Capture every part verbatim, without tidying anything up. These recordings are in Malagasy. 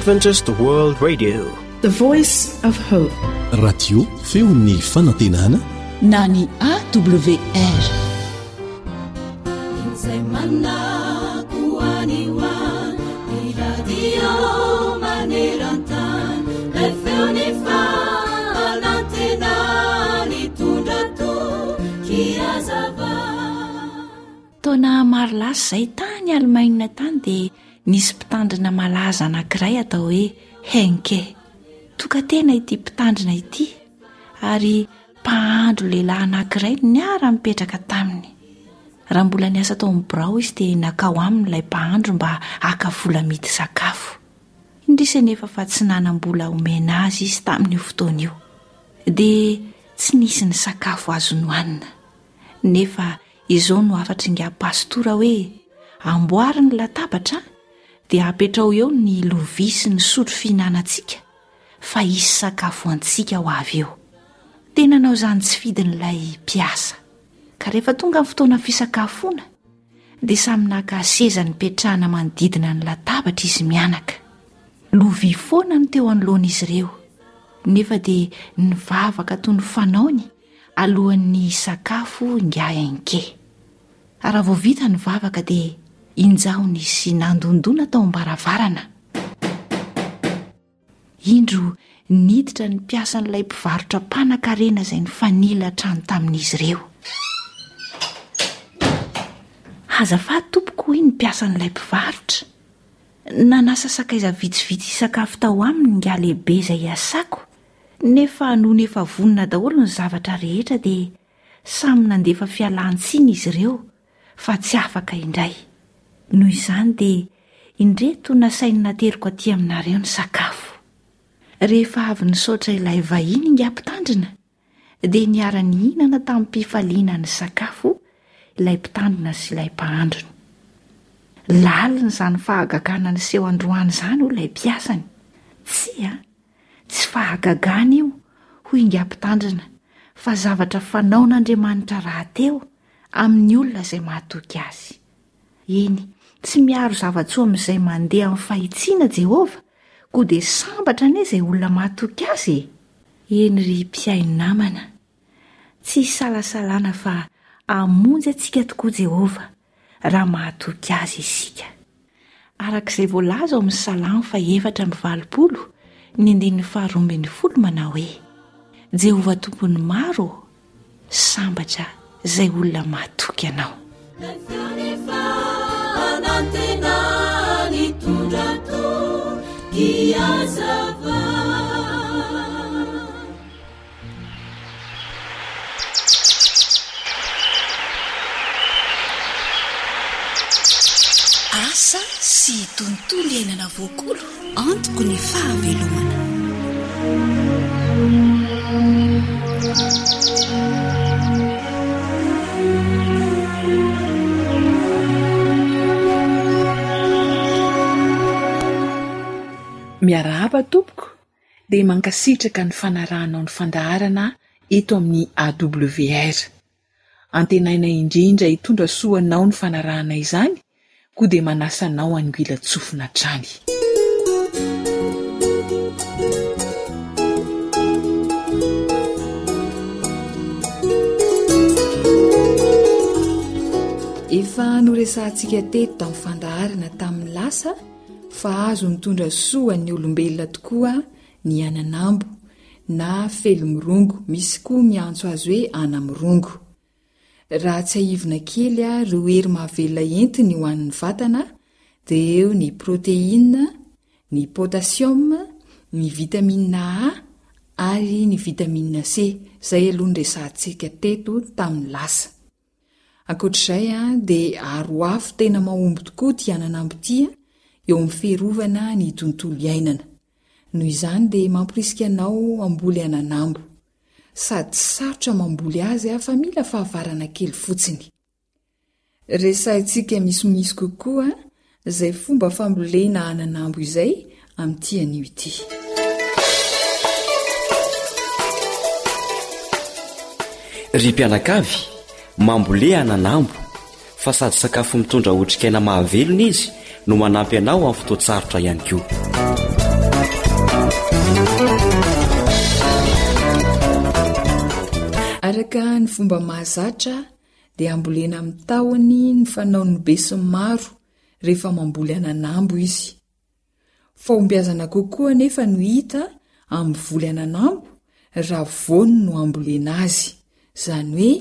Adventist World Radio, The Voice of Hope. Radio feon'ny fanantenana na ny A W R. Izay manako any ho any, ny radio maneran-tany, lay feon'ny fanantenana nitondra toky hazava. Taona maro lasa izay, tany Alemaina tany, dia nisy mpitandrina malaza anankiray atao hoe Henke. Toka-tena ity mpitandrina ity, ary mpahandro lehilahy anankiray niara mipetraka taminy. Raha mbola niasa tao amin'ny birao izy, dia nankao aminy ilay mpahandro mba haka vola midy sakafo. Indrisy anefa fa tsy nanam-bola omena azy izy tamin'io fotoana io, dia tsy nisy ny sakafo azo nohanina. Nefa izao no hafatr'ingahy pastora hoe: "Amboary ny latabatra, dia apetrao eo ny lovia sy ny sotro fihinanantsika, fa hisy sakafo antsika ho avy eo." Tena nanao izany tsy fidin'ilay mpiasa, ka rehefa tonga ny fotoana fisakafoana, dia samy naka seza nipetrahana manodidina ny latabatra izy mianaka. Lovia foana no teo anoloan'izy ireo, nefa dia nivavaka toy ny fanaony alohan'ny sakafo ingahy Henke. Raha vao vita ny vavaka, dia injao nisy nandondona tao am-baravarana. Indro niditra ny mpiasan'ilay mpivarotra mpanan-karena izay nifanila trano tamin'izy ireo. "Azafady tompoko," hoy ny mpiasan'ilay mpivarotra, "nanasa sakaiza vitsivitsy hisakafo tao aminy ingahy lehibe izay iasako, nefa nony efa vonona daholo ny zavatra rehetra, dia samy nandefa fialan-tsiny izy ireo fa tsy afaka indray. Noho izany dia indreto nasainy nateriko aty aminareo ny sakafo." Rehefa avy nisaotra ilay vahiny ingahy mpitandrina, dia niara-nihinana tamin'ny-pifaliana ny sakafo ilay mpitandrina sy ilay mpahandrony. "Lalina izany fahagagana niseho androany izany," hoy ilay mpiasany. "Tsia, tsy fahagagana io," hoy ingahy mpitandrina, "fa zavatra fanaon'Andriamanitra rahateo amin'ny olona izay mahatoky azy. Eny, tsy miaro zava-tsoa amin'izay mandeha amin'ny fahitsiana Jehovah, koa dia sambatra anie izay olona mahatoky azy e." Eny ry mpihaino namana, tsy isalasalana fa hamonjy antsika tokoa Jehovah raha mahatoky azy isika, arak'izay voalaza ao amin'ny Salamo fa efatra amby valopolo ny andininy faharoa ambin'ny folo manao hoe: "Jehovah tompon'ny maro, sambatra izay olona mahatoky anao." Lay feon'ny fanantenana nitondra toky hazava. Asa sy tontolo iainana voakolo antoko ny fahavelomana. Miarahaba tompoko, dia mankasitraka ny fanarahanao ny fandaharana eto amin'ny A W R. Antenaina indrindra hitondra soa anao ny fanarahana izany, koa dia manasa anao hanongilan-tsofina hatrany. Efa noresahantsika teto tamin'ny fandaharana tamin'ny lasa fa azo mitondra soa ny olombelona tokoa ny ananambo na felomirongo, misy koa miantso azy hoe anamirongo. Raha tsiahivina kely ireo hery mahavelona entiny ho an'ny vatana dia eo ny protéine, ny potassium, ny vitamine A ary ny vitamine C, izay aloha no resahantsika teto tamin'ny lasa. Ankoatr'izay dia aro afo tena mahomby tokoa ity ananambo ity eo amin'ny fiarovana ny tontolo iainana. Noho izany dia mamporisika anao hamboly ananambo. Sady tsy sarotra mamboly azy fa mila fahavarana kely fotsiny. Resahintsika misimisy kokoa izay fomba fambolena ananambo izay amin'ity anio ity. Ry mpianakavy, mambolea ananambo, fa sady sakafo mitondra otrikaina mahavelona izy no manampy anao amin'ny fotoan-tsarotra ihany koa. Araka ny fomba mahazatra dia ambolena amin'ny tahony ny fanaon'ny besinimaro rehefa mamboly ananambo izy. Fahombiazana kokoa anefa no hita amin'ny voly ananambo raha voany no ambolena azy, izany hoe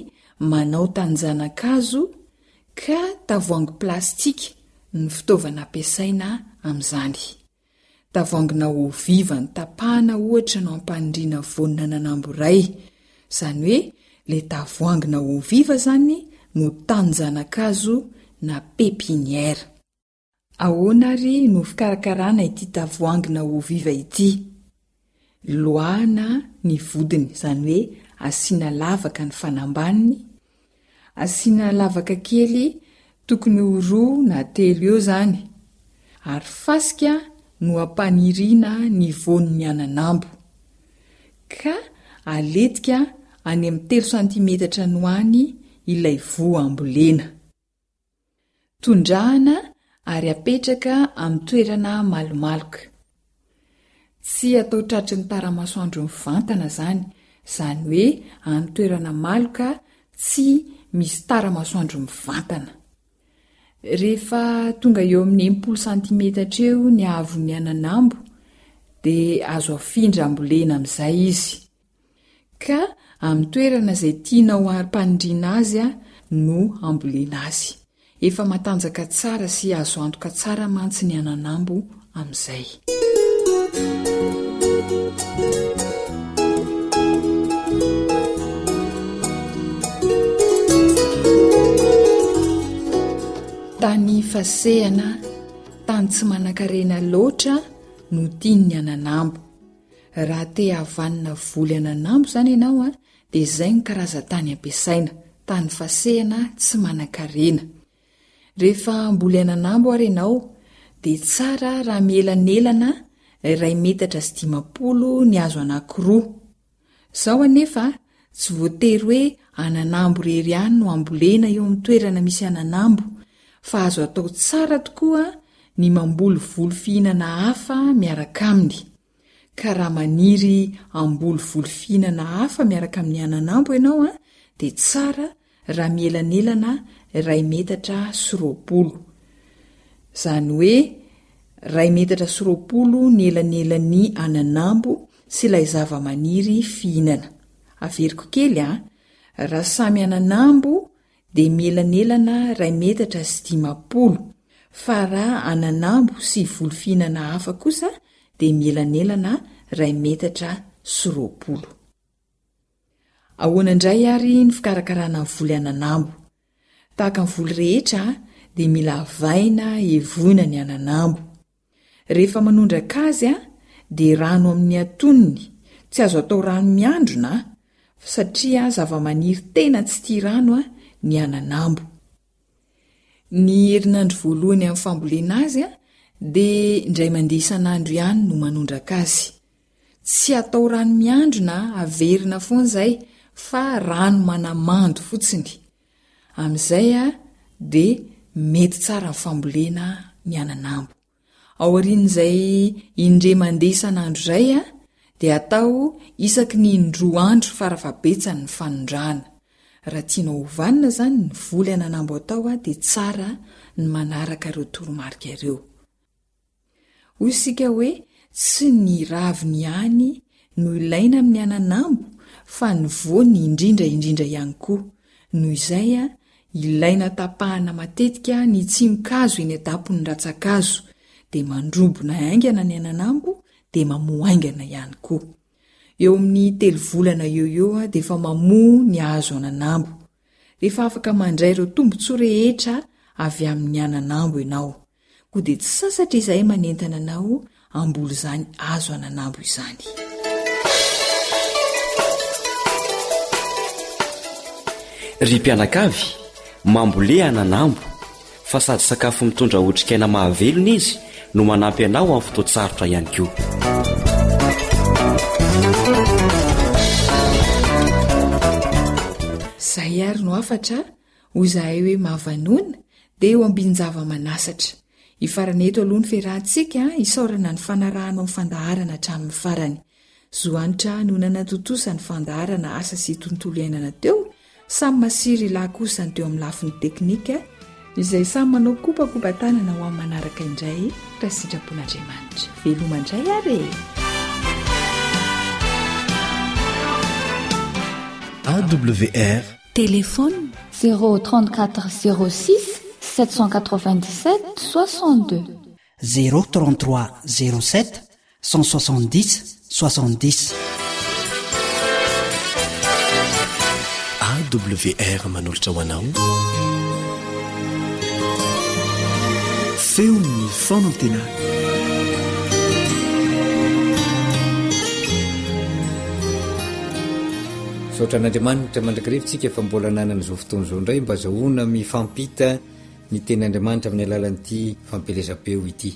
manao tanin-janakazo ka tavoahangy plastika no fitaovana ampiasaina amin'izany. Tavoahangina eau vive notapahana ohatra no ampaniriana voan'ananambo iray, izany hoe ilay tavoahangina eau vive izany no tanin-janakazo na pépinière. Ahoana ary no fikarakarana ity tavoahangina eau vive ity? Loahana ny vodiny, izany hoe asiana lavaka ny fanambaniny, asiana lavaka kely tokony ho roa na telo eo izany, ary fasika no ampaniriana ny voan'ny ananambo, ka aletika any amin'ny telo santimetatra any ho any ilay voa ambolena. Tondrahana ary apetraka amin'ny toerana malomaloka. Tsy atao tratry ny tara-masoandro mivantana izany, izany hoe any toerana maloka tsy misy tara-masoandro mivantana. Rehefa tonga eo amin'ny enimpolo santimetatra eo ny haavon'ny ananambo dia azo afindra ambolena amin'izay izy. Ka amin'ny toerana izay tianao harim-panindriana azy no hambolena azy. Efa matanjaka tsara sy azo antoka tsara mantsy ny ananambo amin'izay. Tany fasehana, tany tsy manankarena loatra no tian'ny ananambo. Raha te hahavanona voly ananambo izany ianao dia izay no karazan-tany ampiasaina, tany fasehana tsy manankarena. Rehefa hamboly ananambo ary ianao dia tsara raha mielanelana iray metatra sy dimampolo ny hazo anankiroa. Izao anefa tsy voatery hoe ananambo irery ihany no ambolena eo amin'ny toerana misy ananambo fa azo atao tsara tokoa ny mamboly voly fihinana hafa miaraka aminy. Ka raha maniry hamboly voly fihinana hafa miaraka amin'ny ananambo ianao dia tsara raha mielanelana iray metatra sy roapolo. Izany hoe iray metatra sy roapolo ny elanelan'ny ananambo sy ilay zavamaniry fihinana. Averiko kely an, raha samy ananambo dia mielanelana iray metatra sy dimampolo, fa raha ananambo sy voly fihinana hafa kosa dia mielanelana iray metatra sy roapolo. Ahoana indray ary ny fikarakarana ny voly ananambo? Tahaka ny voly rehetra dia mila avaina hevoina ny ananambo. Rehefa manondraka azy dia rano amin'ny antonony, tsy azo atao rano miandrona satria zavamaniry tena tsy tia rano ny ananambo. Ny herinandro voalohany amin'ny fambolena azy dia indray mandeha isan'andro ihany no manondraka azy. Tsy atao rano miandrona averina foana izay fa rano manamando fotsiny. Amin'izay dia mety tsara ny fambolena ny ananambo. Aorian'izay indray mandeha isan'andro izay dia atao isaky ny indroa andro farafahabetsany ny fanondrahana. Raha tianao ho vanona izany ny voly ananambo atao dia tsara ny manaraka ireo toromarika ireo. Hoy isika hoe tsy ny raviny ihany no ilaina amin'ny ananambo fa ny voany indrindra indrindra ihany koa. Noho izay, ilaina tapahana matetika ny tsimokazo eny an-tampon'ny rantsan-kazo, dia mandrobona haingana ny ananambo dia mamoa haingana ihany koa. Eo amin'ny telo volana eo ho eo dia efa mamoa ny hazo ananambo. Efa afaka mandray ireo tombontsoa rehetra avy amin'ny ananambo ianao. Koa dia tsy sasatra izahay manentana anao hamboly izany hazo ananambo izany. Ry mpianakavy, mambolea ananambo, fa sady sakafo mitondra otrikaina mahavelona izy no manampy anao amin'ny fotoan-tsarotra ihany koa. Izay ary no hafatra, hoy izahay hoe mahavanona, dia eo ambin-java-manasatra. Hifarana eto aloha ny fiarahantsika, isaorana ny fanarahanao ny fandaharana hatramin'ny farany. Zo Hanitra no nanatontosa ny fandaharana asa sy tontolo iainana teo, samy masiry lahy kosa ny teo amin'ny lafiny teknika, izay samy manao kopakopa-tanana ho amin'ny manaraka indray raha sitrapon'Andriamanitra. Veloma indray ary e! A W R. Téléphone. Zéro trente-quatre zéro six sept cent quatre-vingt-dix-sept soixante-deux. Zéro trente-trois zéro sept cent soixante-dix soixante-dix. A W R manolotra ho anao Feon'ny fanantenana. Misaotra an'Andriamanitra mandrakariva tsika fa mbola nanana izao fotoana izao indray mba azahoana mifampita ny tenin'Andriamanitra amin'ny alalan'ity fampielezam-peo ity.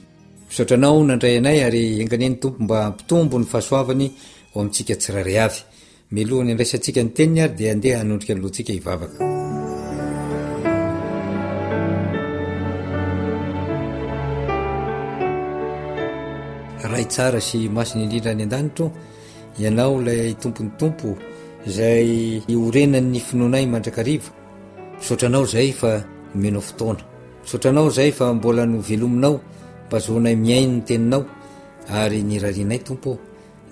Misaotra anao nandray anay ary enga anie ny Tompo mba hampitombo ny fahasoavany ho amintsika tsirairay avy. Mialohan'ny handraisantsika ny teniny ary dia andeha hanondrika ny lohantsika hivavaka. Ray tsara sy masina indrindra any an-danitra ô, Ianao ilay Tompon'ny Tompo izay iorenan'ny finoanay mandrakariva. Misaotra Anao izay fa nomenao fotoana. Misaotra Anao izay fa mbola novelominao mba azahoanay mihaino ny Teninao ary ny irarianay Tompo ô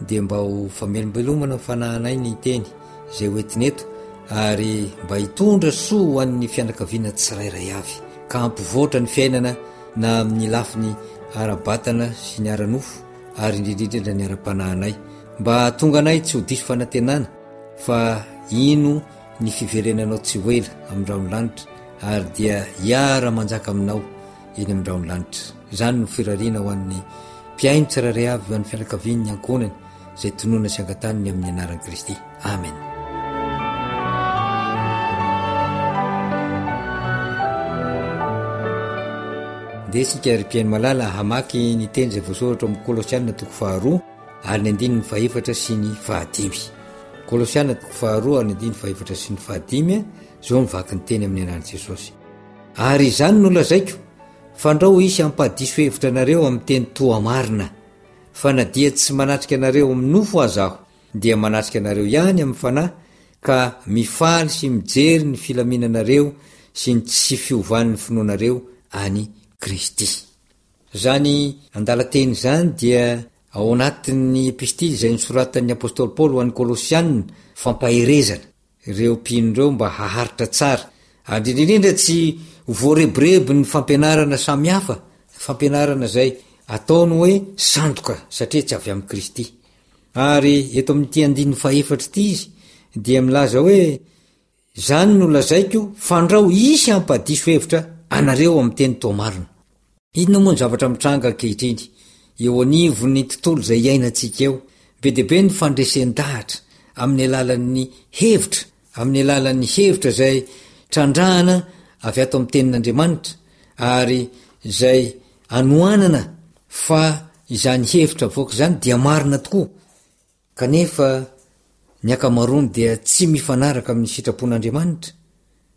dia mba ho famelombelomana ny fanahinay ny Teny izay ho entina eto ary mba hitondra soa ho an'ny fianakaviana tsirairay avy ka hampivoatra ny fiainana na amin'ny lafiny ara-batana sy ny ara-nofo ary indrindra indrindra ny ara-panahinay mba hahatonga anay tsy ho diso fanantenana fa hino ny fiverenanao tsy ho ela amin'ny rahon'ny lanitra ary dia hiara-manjaka aminao eny amin'ny rahon'ny lanitra. Izany no firariana ho an'ny mpihaino tsirairay avy, ho an'ny fianakaviany, ny ankohonany, izay tononina sy angataniny amin'ny anaran'i Kristy. Amen. Ndeha isika ry mpihaino malala hamaky ny teny izay voasoratra ao amin'ny Kolosiana toko faharoa ary ny andininy fahefatra sy ny fahadimy. Kolosiana toko faharoa ary ny andininy fahefatra sy ny fahadimy, izao no vaky ny teny amin'ny anaran'i Jesosy. Ary izany no lazaiko, fandrao hisy hampahadiso hevitra anareo amin'ny teny toa marina, fa na dia tsy manatrika anareo amin'ny nofo aza aho, dia manatrika anareo ihany amin'ny fanahy, ka mifaly sy mijery ny filaminanareo sy ny tsy fiovan'ny finoanareo an'i Kristy. Izany andalan-teny izany dia ao anatin'ny epistily izay nosoratan'ny apostoly Paoly ho an'ny Kolosiana, fampaherezana ireo mpino ireo mba haharitra tsara, ary indrindra indrindra tsy ho voarebirebin'ny fampianarana samihafa, fampianarana izay ataony hoe sandoka satria tsy avy amin'i Kristy. Ary eto amin'ity andininy fahefatra ity izy dia milaza hoe, Izany no lazaiko, fandrao hisy hampadiso hevitra anareo amin'ny teny toa marina. Inona moa ny zavatra mitranga ankehitriny eo anivon'ny tontolo izay iainantsika eo? Be dia be ny fandresen-dahatra amin'ny alalan'ny hevitra, amin'ny alalan'ny hevitra izay trandrahana avy ato amin'ny Tenin'Andriamanitra ary izay anohanana fa izany hevitra avoaka izany dia marina tokoa. Kanefa ny ankamaroany dia tsy mifanaraka amin'ny sitrapon'Andriamanitra.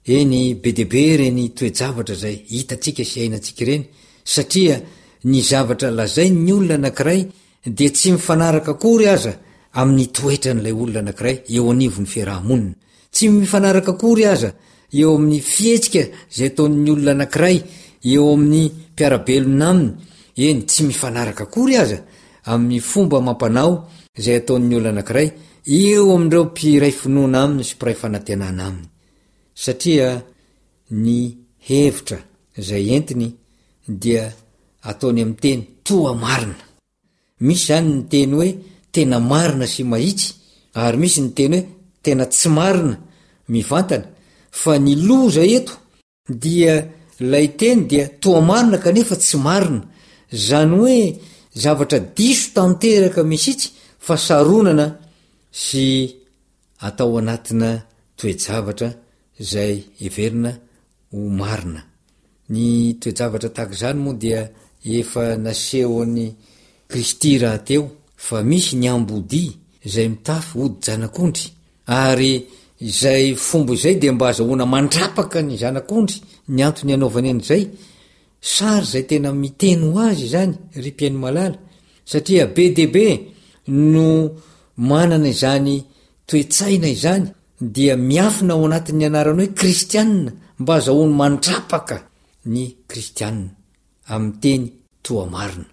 Eny, be dia be ireny toe-javatra izay hitantsika sy iainantsika ireny, satria ny zavatra lazain'ny olona anankiray dia tsy mifanaraka akory aza amin'ny toetran'ilay olona anankiray eo anivon'ny fiaraha-monina. Tsy mifanaraka akory aza eo amin'ny fihetsika izay ataon'ny olona anankiray eo amin'ny mpiara-belona aminy, eny, tsy mifanaraka akory aza amin'ny fomba amam-panao izay ataon'ny olona anankiray eo amin'ireo mpiray finoana aminy sy mpiray fanantenana aminy, satria ny hevitra izay entiny dia ataony amin'ny teny toa marina. Misy izany ny teny hoe tena marina sy mahitsy ary misy ny teny hoe tena tsy marina mivantana, fa ny loza eto dia ilay teny dia toa marina kanefa tsy marina, izany hoe zavatra diso tanteraka mihitsy fa saronana sy atao anatina toe-javatra izay heverina ho marina. Ny toe-javatra tahaka izany moa dia efa nasehon'i Kristy rahateo fa misy ny ambodia izay mitafy hodi-janak'ondry, ary izay fomba izay dia mba azahoana mandrapaka ny zanak'ondry ny antony anaovany an'izay, sary izay tena miteny ho azy izany ry mpihaino malala, satria be dia be no manana izany toe-tsaina izany dia miafina ao anatin'ny anarana hoe kristianina mba azahoany mandrapaka ny kristianina amin'ny teny toa marina.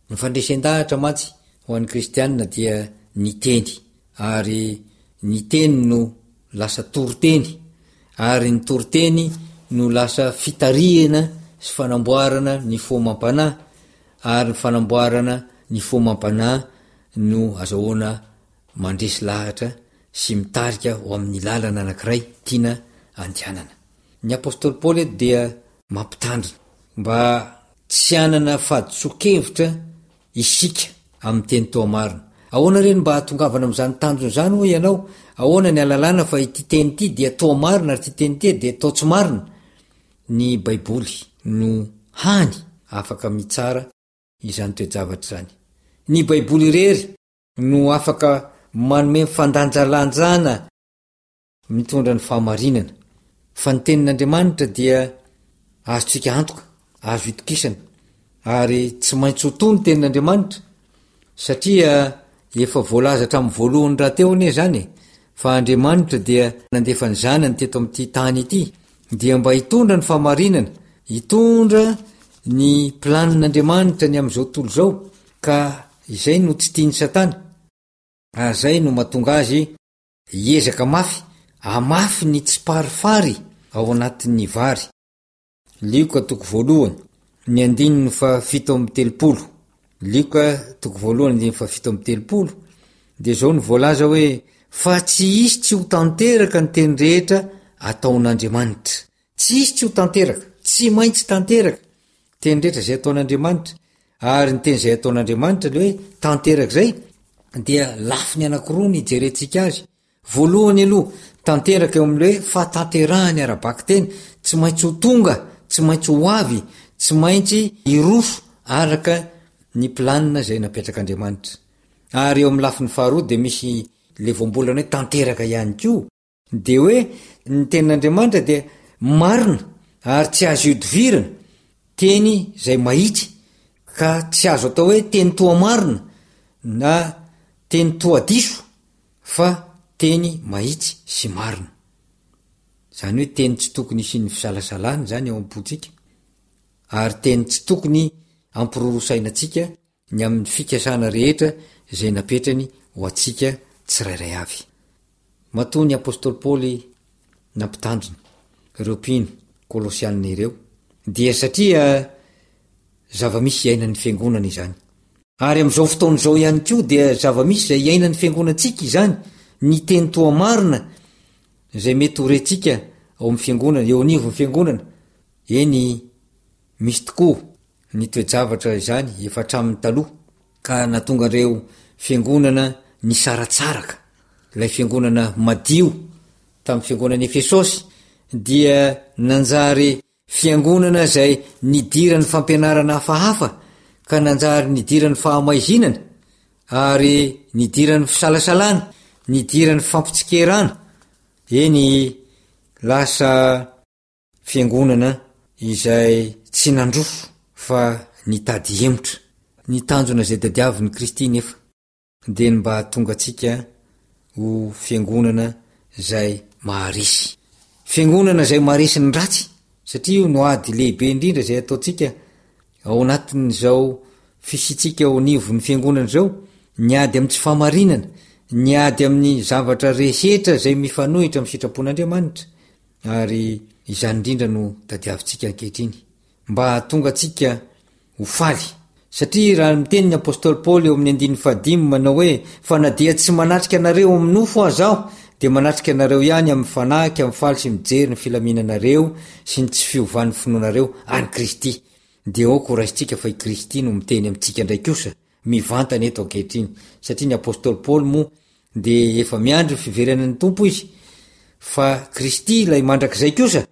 Ny fandresen-dahatra mantsy ho an'ny kristianina dia ny teny, ary ny teny no lasa toriteny, ary ny toriteny no lasa fitarihana sy fanamboarana ny fo amam-panahy, ary ny fanamboarana ny fo amam-panahy no azahoana mandresy lahatra sy mitarika ho amin'ny lalana anankiray tiana andehanana. Ny apostoly Paoly eto dia mampitandrina mba tsy hanana fahadisoan-kevitra isika amin'ny teny toa marina. Ahoana re no mba hahatongavana amin'izany tanjona izany hoy ianao? Ahoana ny ahalalana fa ity teny ity dia toa marina ary ity teny ity dia toa tsy marina? Ny Baiboly no hany afaka mitsara izany toe-javatra izany. Ny Baiboly irery no afaka manome fandanjalanjana mitondra ny fahamarinana. Fa ny tenin'Andriamanitra dia azontsika antoka, azo itokisana, ary tsy maintsy ho to ny tenin'Andriamanitra, satria efa voalaza hatramin'ny voalohany rahateo anie izany e, fa Andriamanitra dia nandefa ny Zanany teto amin'ity tany ity, dia mba hitondra ny fahamarinana, hitondra ny planin'Andriamanitra ny amin'izao tontolo izao, ka izay no tsy tian'i Satana, ary izay no mahatonga azy hiezaka mafy hamafy ny tsiparifary ao anatin'ny vary. Lioka toko voalohany, ny andininy fahafito amby telopolo. Lioka toko voalohany andininy fahafito amby telopolo dia izao no voalaza hoe, Fa tsy hisy tsy ho tanteraka ny teny rehetra ataon'Andriamanitra. Tsy hisy tsy ho tanteraka, tsy maintsy tanteraka teny rehetra izay ataon'Andriamanitra. Ary ny teny izay ataon'Andriamanitra ilay hoe tanteraka izay dia lafiny anankiroa ny hijerentsika azy. Voalohany aloha, tanteraka eo amin'ilay hoe fahatanterahany ara-bakiteny, tsy maintsy ho tonga, tsy maintsy ho avy, tsy maintsy hiroso araka ny planina izay napetrak'Andriamanitra. Ary eo amin'ny lafiny faharoa dia misy ilay voambolana hoe tanteraka ihany koa. Dia hoe ny tenin'Andriamanitra dia marina ary tsy azo ihodivirana, teny izay mahitsy ka tsy azo atao hoe teny toa marina na teny toa diso fa teny mahitsy sy marina. Izany hoe teny tsy tokony hisian'ny fisalasalana izany ao am-pontsika ary teny tsy tokony hampirorosaina antsika ny amin'ny fikasana rehetra izay napetrany ho antsika tsirairay avy. Matoa ny apostoly Paoly nampitandrina ireo mpino Kolosiana ireo, dia satria zava-misy iainan'ny fiangonana izany. Ary amin'izao fotoana izao ihany koa dia zava-misy izay iainan'ny fiangonantsika izany, ny teny toa marina izay mety ho rentsika ao amin'ny fiangonana, eo anivon'ny fiangonana. Eny, misy tokoa ny toe-javatra izany efa hatramin'ny taloha, ka nahatonga ireo fiangonana nisaratsaraka. Ilay fiangonana madio tamin'ny fiangonan'i Efesosy dia nanjary fiangonana izay nidiran'ny fampianarana hafahafa ka nanjary nidiran'ny fahamaizinana ary nidiran'ny fisalasalana, nidiran'ny fampitsikerana, eny lasa fiangonana izay tsy nandroso fa nitady hemotra. Ny tanjona izay tadiavin'i Kristy nefa dia ny mba hahatonga antsika ho fiangonana izay maharesy. Fiangonana izay maharesy ny ratsy, satria io no ady lehibe indrindra izay ataontsika ao anatin'izao fisiantsika ao anivon'ny fiangonana izao, ny ady amin'ny tsy fahamarinana, ny ady amin'ny zavatra rehetra izay mifanohitra amin'ny sitrapon'Andriamanitra. Ary izany indrindra no tadiavintsika ankehitriny. Mba hahatonga antsika ho faly. Satria raha miteny ny apostoly Paoly eo amin'ny andininy fahadimy manao hoe, Fa na dia tsy manatrika anareo amin'ny nofo aza aho, dia manatrika anareo ihany amin'ny fanahy ka mifaly sy mijery ny filaminanareo sy ny tsy fiovan'ny finoanareo an'i Kristy. Dia aoka ho raisintsika fa i Kristy no miteny amintsika indray kosa mivantana eto ankehitriny. Satria ny apostoly Paoly moa dia efa miandry ny fiverenan'ny Tompo izy, fa Kristy ilay mandrakizay kosa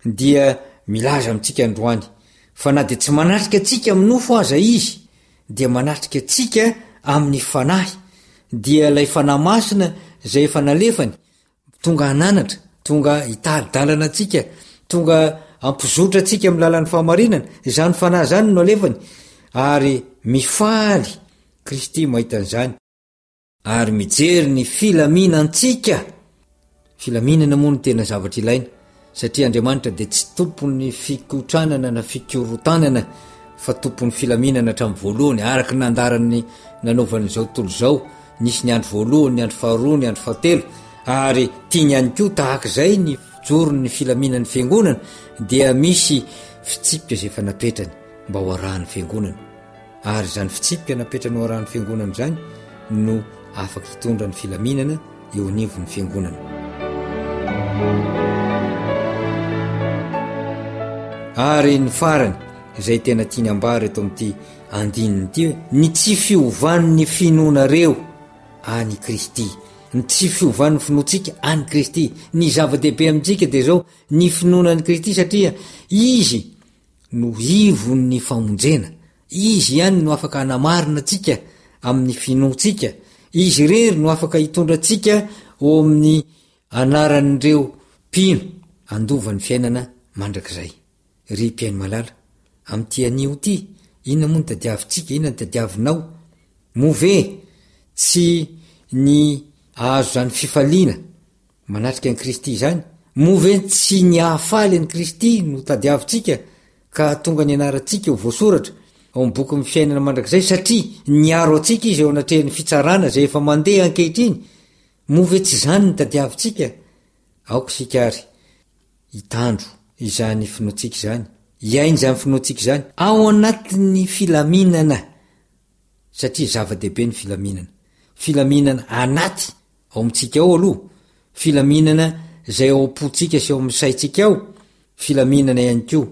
dia milaza amintsika androany fa na dia tsy manatrika antsika amin'ny nofo aza Izy dia manatrika antsika amin'ny Fanahy, dia ilay Fanahy Masina izay efa nalefany tonga hananatra, tonga hitari-dalana antsika, tonga hampizotra antsika amin'ny lalan'ny fahamarinana, izany Fanahy izany no nalefany ary mifaly Kristy mahita an'izany. ary mijery ny filaminantsika. Filaminana moa no tena zavatra ilaina, satria Andriamanitra dia tsy tompon'ny fikotranana na fikorotanana fa tompon'ny filaminana hatramin'ny voalohany, araka ny nandaran'ny nanaovan'izao tontolo izao, nisy ny andro voalohany, ny andro faharoa, ny andro fahatelo, ary tiany ihany koa tahaka izay ny fijoron'ny filaminan'ny fiangonana, dia misy fitsipika izay efa napetrany mba ho arahan'ny fiangonana. Ary izany fitsipika napetrany ho arahan'ny fiangonana izany no afaka hitondra ny filaminana eo anivon'ny fiangonana. Ary ny farany izay tena tiany ambara eto amin'ity andininy ity hoe ny tsy fiovan'ny finoanareo an'i Kristy. Ny tsy fiovan'ny finoantsika an'i Kristy. Ny zava-dehibe amintsika dia izao, ny finoana an'i Kristy satria Izy no ivon'ny famonjena. Izy ihany no afaka hanamarina antsika amin'ny finoantsika. Izy irery no afaka hitondra antsika ho amin'ny anaran'ireo mpino handova ny fiainana mandrakizay. Ry mpihaino malala, amin'ity anio ity, inona moa no tadiavintsika, inona no tadiavinao? Moa ve tsy ny hahazo izany fifaliana manatrika an'i Kristy izany? Moa ve tsy ny hahafaly an'i Kristy no tadiavintsika ka hahatonga ny anarantsika ho voasoratra ao amin'ny bokin'ny fiainana mandrakizay, satria niaro antsika Izy eo anatrehan'ny fitsarana izay efa mandeha ankehitriny? Moa ve tsy izany no tadiavintsika? Aoka isika àry hitandro izany finoantsika izany, hiaina izany finoantsika izany ao anatin'ny filaminana, satria zava-dehibe ny filaminana. Filaminana anaty ao amintsika ao aloha, filaminana izay ao am-pontsika sy ao amin'ny saintsika ao, filaminana ihany koa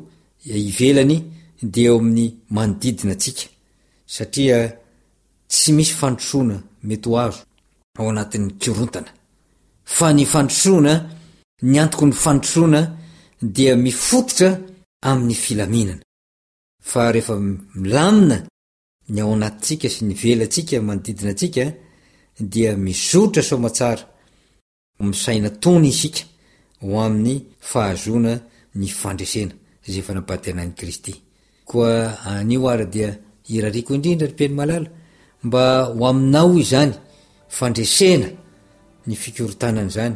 ivelany dia eo amin'ny manodidina antsika, satria tsy misy fandrosoana mety ho azo ao anatin'ny korontana. Fa ny fandrosoana, ny antoky ny fandrosoana dia mifototra amin'ny filaminana. Fa rehefa milamina ny ao anatintsika sy ny ivelantsika manodidina antsika dia mizotra soamatsara misaina tony isika ho amin'ny fahazoana ny fandresena izay efa nampantenain'i Kristy. Koa anio ary dia irariako indrindra ry mpihaino malala mba ho aminao izany fandresena ny fikorontanana izany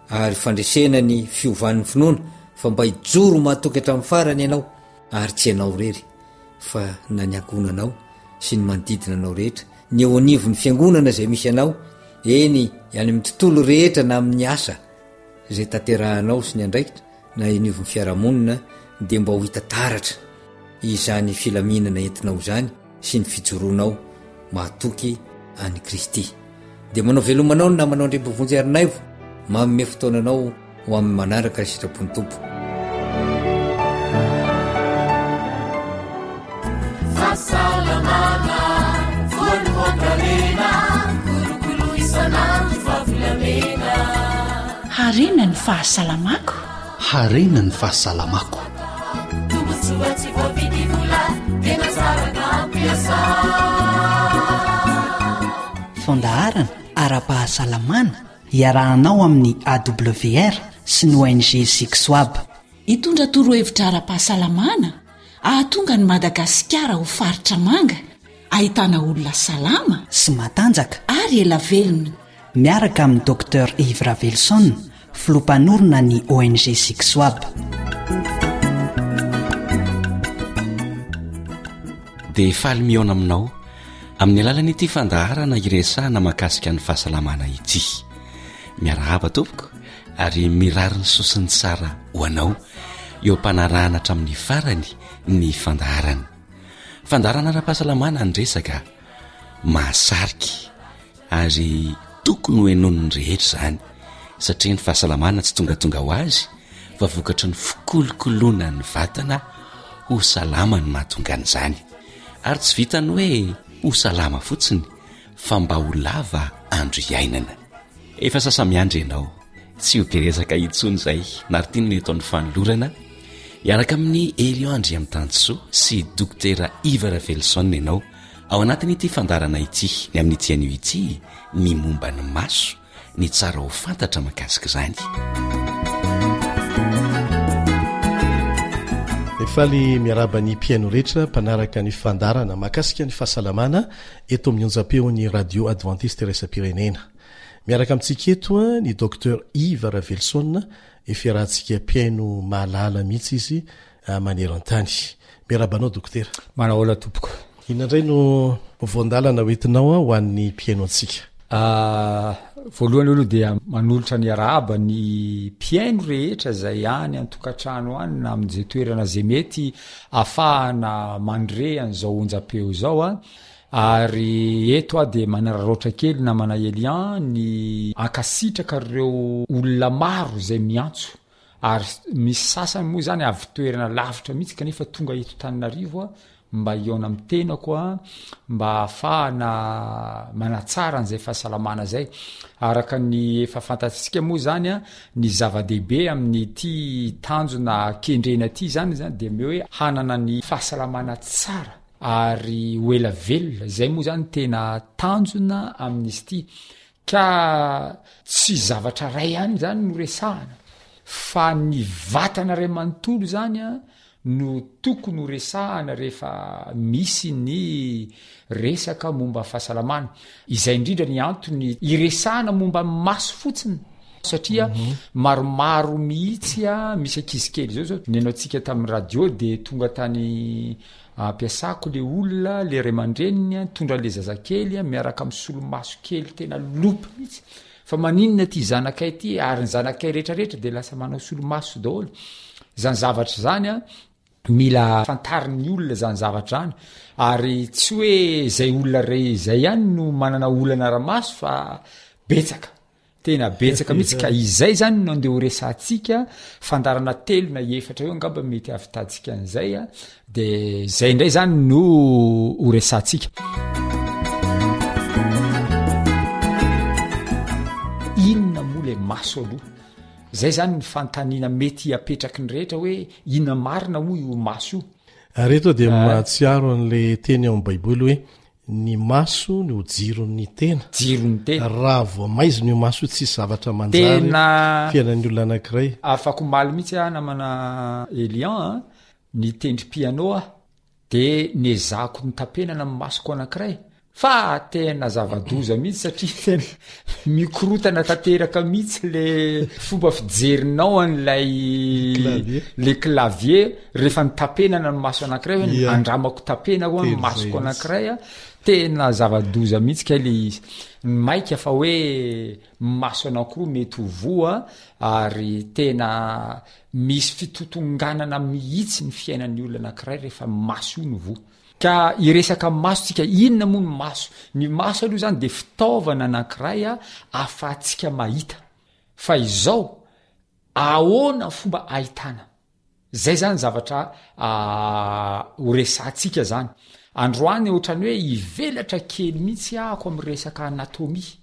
ary fandresena ny fiovan'ny finoana fa mba hijoro mahatoky hatramin'ny farany ianao ary tsy ianao irery fa na ny ankohonanao sy ny manodidina anao rehetra, ny eo anivon'ny fiangonana izay misy anao, eny any amin'ny tontolo rehetra na amin'ny asa izay tanterahanao sy ny andraikitra na eo anivon'ny fiarahamonina dia mba ho hita taratra izany filaminana entinao izany sy ny fijoroanao mahatoky an'i Kristy. Dia manao veloma anao ny namanao Andriampovonjy Harinaivo, manome fotoana anao ho amin'ny manaraka ny sitrapon'ny Tompo. Fahasalamana, voalohan-karena, kolokolo isan'andro fa volamena. Harena ny fahasalamako. Harena ny fahasalamako. Tombontsoa tsy voavidy vola, tena tsara ka ampiasa. Fandaharana ara-pahasalamana iarahanao amin'ny A W R sy ny O N G Zixoab. Hitondra torohevitra ara-pahasalamana hahatonga an'i Madagasikara ho faritra manga, ahitana olona salama sy matanjaka ary ela velona. Miaraka amin'ny Docteur Yves Ravelison, filoha mpanorina ny O N G Zixoab. Dia faly mihaona aminao amin'ny alalan'ity fandaharana iresahana mahakasika ny fahasalamana ity. Miarahaba tompoko ary mirary ny soa sy ny tsara ho anao eo am-panarahana hatramin'ny farany ny fandaharana. Fandaharana ara-pahasalamana ny resaka mahasarika ary tokony ho henoin'ny rehetra izany, satria ny fahasalamana tsy tongatonga ho azy fa vokatry ny fikolokoloana ny vatana ho salama no mahatonga an'izany. Ary tsy vitan'ny hoe ho salama fotsiny fa mba ho lava andro iainana. Efa sasa-miandry ianao, tsy ho be resaka intsony izay, Martine no eto amin'ny fanolorana, hiaraka amin'i Elion Andriamitansoa sy Dokotera Yves Ravelison ianao ao anatin'ity fandaharana ity, ny amin'ity anio ity, ny momba ny maso, ny tsara ho fantatra mahakasika izany. Faly miarahaba ny mpihaino rehetra mpanaraka ny fandaharana mahakasika ny fahasalamana eto amin'ny onjam-peon'ny Radio Adventiste Iraisam-pirenena. Miaraka amintsika eto ny Docteur Yves Raveloson, efa iarahantsika mpihaino mahalala mihitsy izy maneran-tany. Miarahaba anao Dokotera. Manahoana tompoko. Inona indray no voandalana hoentinao ho an'ny mpihaino antsika? Voalohany aloha dia manolotra ny arahaba ny mpihaino rehetra izay any an-tokantrano any na amin'izay toerana izay mety afahana mandre an'izao onjam-peo izao a. Ary eto aho dia manararaotra kely namana Elian ny ankasitraka ireo olona maro izay miantso. Ary misy sasany moa izany avy toerana lavitra mihitsy kanefa tonga eto Tananarivo aho mba hihaona amin'ny tenako aho, mba hahafahana manatsara an'izay fahasalamana izay. Araka ny efa fantatsika moa izany, ny zava-dehibe amin'ity tanjona kendrena ity izany izany dia hoe hanana ny fahasalamana tsara ary ho ela velona. Izay moa izany tena tanjona amin'izy ity. Ka tsy zavatra iray ihany izany no resahana fa ny vatana iray manontolo izany no tokony ho resahana rehefa misy ny resaka momba fahasalamana. Izay indrindra ny antony iresahana momba ny maso fotsiny satria mhm. maromaro mihitsy a misy ankizy kely zao zao neno antsika tamin'ny radio de tonga tany Ampiasako le olona, le ray aman-dreniny nitondra an'le zazakely miaraka amin'ny solomaso kely tena lopy mihitsy. Fa maninona ity zanakay ity ary ny zanakay rehetrarehetra dia lasa manao solomaso daholo. Izany zavatra izany an, mila fantarin'ny olona izany zavatra izany. Ary tsy hoe izay olona re izay ihany no manana olana ara-maso fa betsaka. Tena betsaka mihitsy ka izay zany no andeha ho resahantsika, fandaharana telo na efatra eo angamba mety hahavitantsika an'izay a, de zay indray zany no ho resahantsika. Inona moa le maso aloha? Zay zany ny fanontaniana mety apetraky ny rehetra hoe inona marina moa io maso io? Ary eto dia mahatsiaro an'le teny ao amin'ny baiboly hoe Ny maso no jiron'ny tena. Jiron'ny tena. Raha vao maizina io maso io tsisy zavatra manjary Tena fiainan'ny olona anankiray. Afaka omaly mihitsy aho namana Elian a, nitendry piano aho de nezahako notapenana ny masoko anankiray fa tena zava-doza mihitsy satria tena mikorotana tanteraka mihitsy le fomba fijerinao an'ilay Clavier. le clavier rehefa notapenana ny maso anankiray hoe Ia. andramako tapena hoa ny Tena masoko izay mihitsy. anankiray a tena zava-doza mihitsy kay le izy maika fa hoe maso anankiroa mety ho voa ary tena misy fitotonganana mihitsy ny fiainan'ny olona anankiray rehefa maso io no voa Ka hiresaka maso tsika, inona moa ny maso? Ny maso aloha zany de fitaovana anankiray ahafahantsika mahita. Fa izao, ahoana ny fomba ahitana? Zay zany zavatra ho resahantsika zany. Androany ohatran'ny hoe hivelatra kely mihitsy ahako amin'ny resaka anatomie,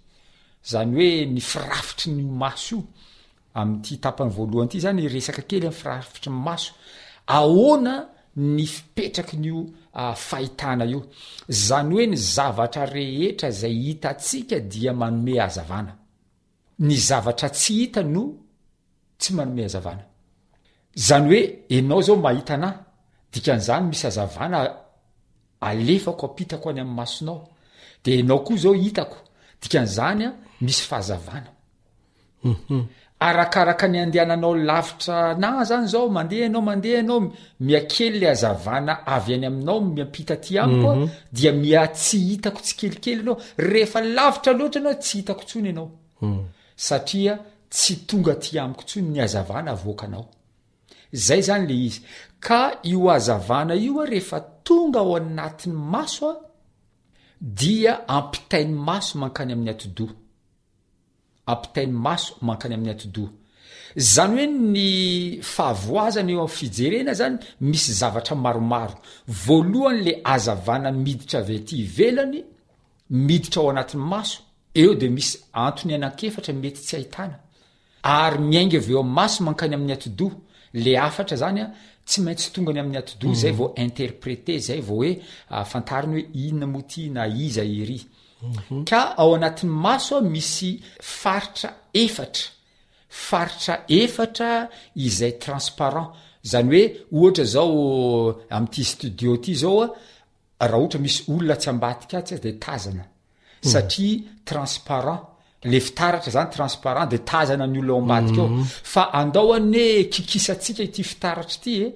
zany hoe ny firafitry ny maso io. Amin'ity tapany voalohany ity zany hiresaka kely amin'ny firafitry ny maso. Ahoana ny fipetraky ny io fahitana io? Zany hoe ny zavatra rehetra izay hitantsika dia manome hazavana. Ny zavatra tsy hita no tsy manome hazavana. Zany hoe enao zao mahita anah, dikan'izany misy hazavana alefako ampitako any amin'ny masonao. De enao koa zao hitako, dikan'izany misy fahazavana. Arakaraka ny andehananao lavitra anah zany zao, mandeha ianao mandeha ianao, mihakely le hazavana avy any aminao miampita aty amiko a, dia miha tsy hitako tsikelikely ianao, rehefa lavitra loatra ianao tsy hitako intsony ianao, satria tsy tonga aty amiko intsony ny hazavana avoakanao. Zay zany le izy. Ka io hazavana io a rehefa tonga ao anatin'ny maso a, dia ampitain'ny maso mankany amin'ny atidoha. Ampitain'ny maso mankany amin'ny atidoha. Izany hoe ny fahavoazana eo amin'ny fijerena zany misy zavatra maromaro. Voalohany le hazavana miditra avy aty ivelany, miditra ao anatin'ny maso, eo de misy antony anankiefatra mety tsy ahitana. Ary miainga avy eo amin'ny maso mankany amin'ny atidoha. Le hafatra zany a, tsy maintsy tonga any amin'ny atidoha zay vao interpreter, zay vao hoe fantariny hoe inona moa ty na iza ery. Ka ao anatin'ny maso misy faritra efatra, Faritra efatra izay transparent, zany hoe ohatra zao amin'ity studio ty zao a, raha ohatra misy olona atsy ambadika atsy de tazana satria transparent, le fitaratra zany transparent de tazana ny olona ao ambadika ao, fa andao anie kikisantsika ity fitaratra ity e.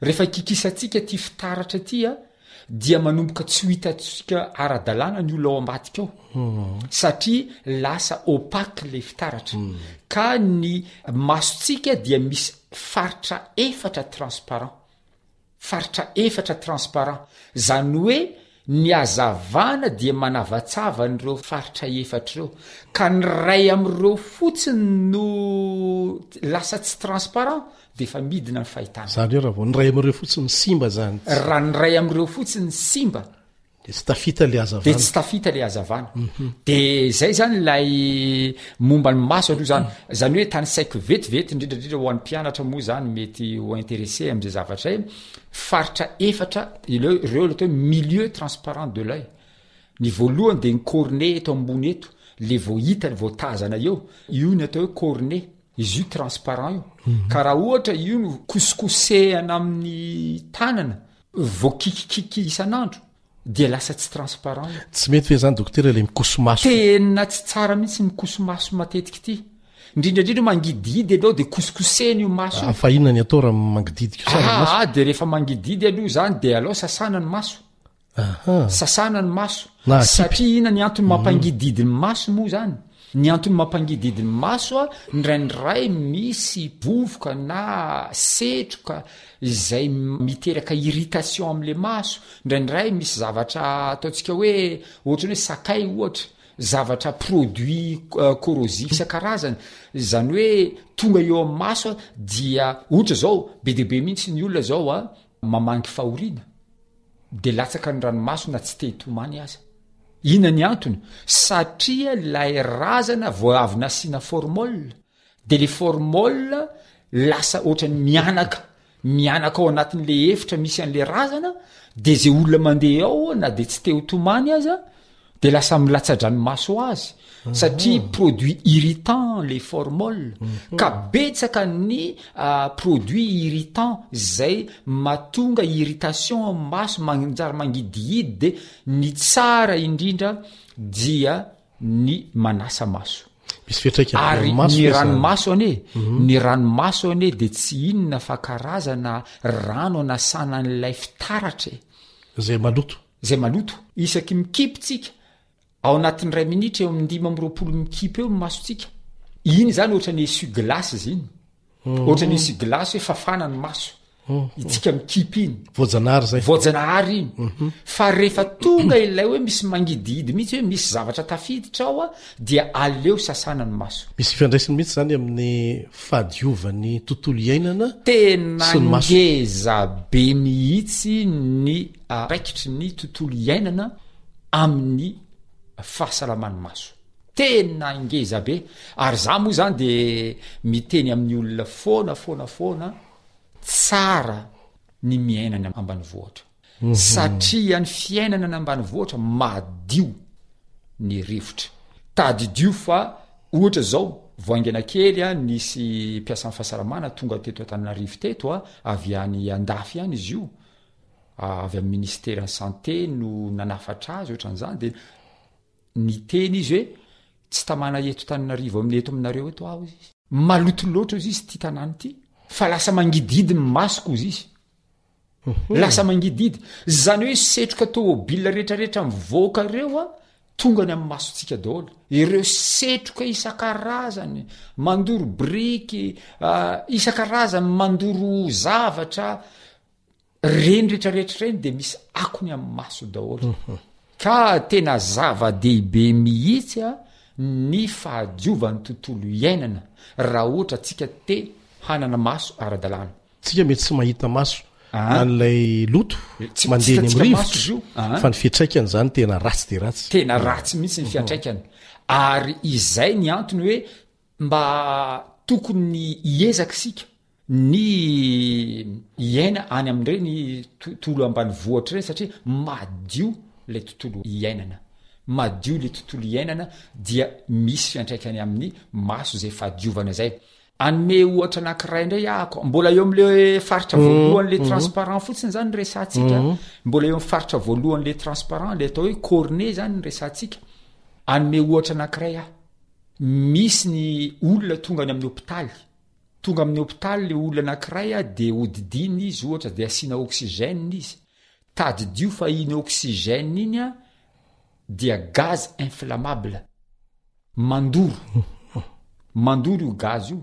Rehefa kikisantsika ity fitaratra ity a, dia manomboka tsy ho hitantsika ara-dalàna ny olona ao ambadika ao, satria lasa opaque le fitaratra. Ka ny masontsika dia misy faritra efatra transparent. Faritra efatra transparent. Zany hoe ny hazavana dia manavatsava an'ireo faritra efatra ireo. Ka ny iray amin'ireo fotsiny no lasa tsy transparent dia efa midina ny fahitana. Izany hoe raha vao ny iray amin'ireo fotsiny simba izany. Raha ny iray amin'ireo fotsiny simba. Dia tsy tafita ilay hazavana. Dia tsy tafita ilay hazavana. Mhm. Dia izay izany ilay momba ny maso aloha izany. Izany hoe tanisaiko vetivety indrindra indrindra ho an'ny mpianatra moa izany mety ho intéressé amin'izay zavatra izay. Faritra efatra ireo ireo ilay atao hoe milieu transparent de l'oeil. Ny voalohany dia ny cornée eto ambony eto, le vao hita, vao tazana eo, io ny atao hoe cornée. Izy io transparent io. Mhm. Ka raha ohatra io no kosikosehana amin'ny tanana Voakikikiky isan'andro dia lasa tsy transparent io. Tsy mety ve zany dokotera le mikoso-maso? Tena tsy tsara mihitsy ny mikoso-maso matetika ity. Indrindra indrindra mangidihidy ianao dia kosikosehina io maso io. Ah, fa inona ny atao raha mangidihidy kosa ny maso? Ah, dia rehefa mangidihidy aloha zany dia alao sasana ny maso. Aha. Sasana ny maso. Na akipy. Satria inona ny antony mampangidihidy ny maso moa zany? Ny antony mampangidihidy ny maso a, indraindray misy vovoka na setroka izay miteraka irritation am'le maso, indraindray misy zavatra ataontsika hoe ohatran'ny hoe sakay ohatra, zavatra produit corrosif isan-karazany, zany hoe tonga eo amin'ny maso a dia ohatra zao be dia be mihitsy ny olona zao a mamangy fahoriana, de latsaka ny ranomaso na tsy te hitomany aza. Inona ny antony? Satria ilay razana vao avy nasiana formol, de le formol lasa ohatran'ny mianaka, mianaka ao anatin'le efitra misy an'le razana, de ze olona mandeha ao na de tsy te ho tomany aza de lasa milatsa-dranomaso ho azy satria produit irritant le formol, ka betsaka ny produit irritant zay mahatonga irritation amin'ny maso, manjary mangidihidy de ny tsara indrindra dia ny manasa maso. Misy fiantraikany Ary amin'ny maso ny ve izany? ranomaso anie, ny ranomaso anie de tsy inona fa karazana rano anasana an'ilay fitaratra e. Zay maloto. Izay maloto. Isaky mikipy tsika, ao anatin'ny iray minitra eo amin'ny dimy amby roapolo mikipy eo ny masontsika. Iny izany ohatran'ny essuie glace izy iny. Ohatran'ny essuie glace hoe fafana ny maso. Itsika mikipy iny. Voajanahary izay. Voajanahary iny. Fa rehefa tonga ilay hoe misy mangidihidy mihitsy hoe misy zavatra tafiditra ao dia aleo sasana ny maso. Misy ifandraisany mihitsy izany amin'ny fahadiovan'ny tontolo iainana Tena sy ny maso. ngeza be mihitsy ny Andraikitry ny tontolo iainana amin'ny fahasalaman'ny maso. Tena ngeza be. Ary za moa zany de miteny amin'ny olona foana foana foana, tsara ny miaina any ambanivohitra. Satria ny fiainana any ambanivohitra madio ny rivotra. Tadidio fa ohatra zao, vao haingana kely a, nisy mpiasan'ny fahasalamana tonga teto Antananarivo teto a, avy any andafy any izy io, avy amin'ny ministeran'ny santé no nanafatra azy ohatran'izany de niteny izy hoe tsy tamana eto Tananarivo amin'ny eto aminareo eto aho izy maloto loatra ozy izy ty tanàna ity fa lasa mangidihidy ny masoko ozy izy mhm. lasa mangidihidy zany hoe setroka tômôbila rehetrarehetra mivoaka ireo a tonga any amin'ny masontsika daholo ireo setroka isan-karazany mandoro biriky ah, isan-karazany mandoro zavatra Reny retraretra reny de misy akony amin'ny maso daholo. Ka tena zava-dehibe mihitsy a ny fahadiovan'ny tontolo iainana raha ohatra tsika te hanana maso ara-dalàna. Tsika mety tsy mahita maso Aa. an'ilay loto Tsy mandeha eny hitantsika amin'ny maso izy rivotra io. Aa. fa ny fiantraikany izany tena ratsy dia ratsy. Tena ratsy mihitsy ny fiantraikany. Ary izay ny antony hoe mba tokony hiezaka isika ny hiaina any amin'ireny tontolo ambanivohitra ireny satria madio ilay tontolo iainana. madio le tontolo iainana dia misy fiantraikany amin'ny maso zay fahadiovana zay. Hanome ohatra anankiray indray ahako, mbola eo am'le faritra voalohany le transparent fotsiny zany ny resahantsika, mbola eo am'faritra voalohany le transparent le atao hoe cornée zany ny resahantsika. Hanome ohatra anankiray aho, misy ny olona tonga any amin'ny hopitaly, tonga amin'ny hopitaly le olona anankiray a de hodidina izy ohatra de asiana oxygène izy, tadidio fa iny oxygène iny a dia gaz inflammable, mandoro, mandoro io gaz io.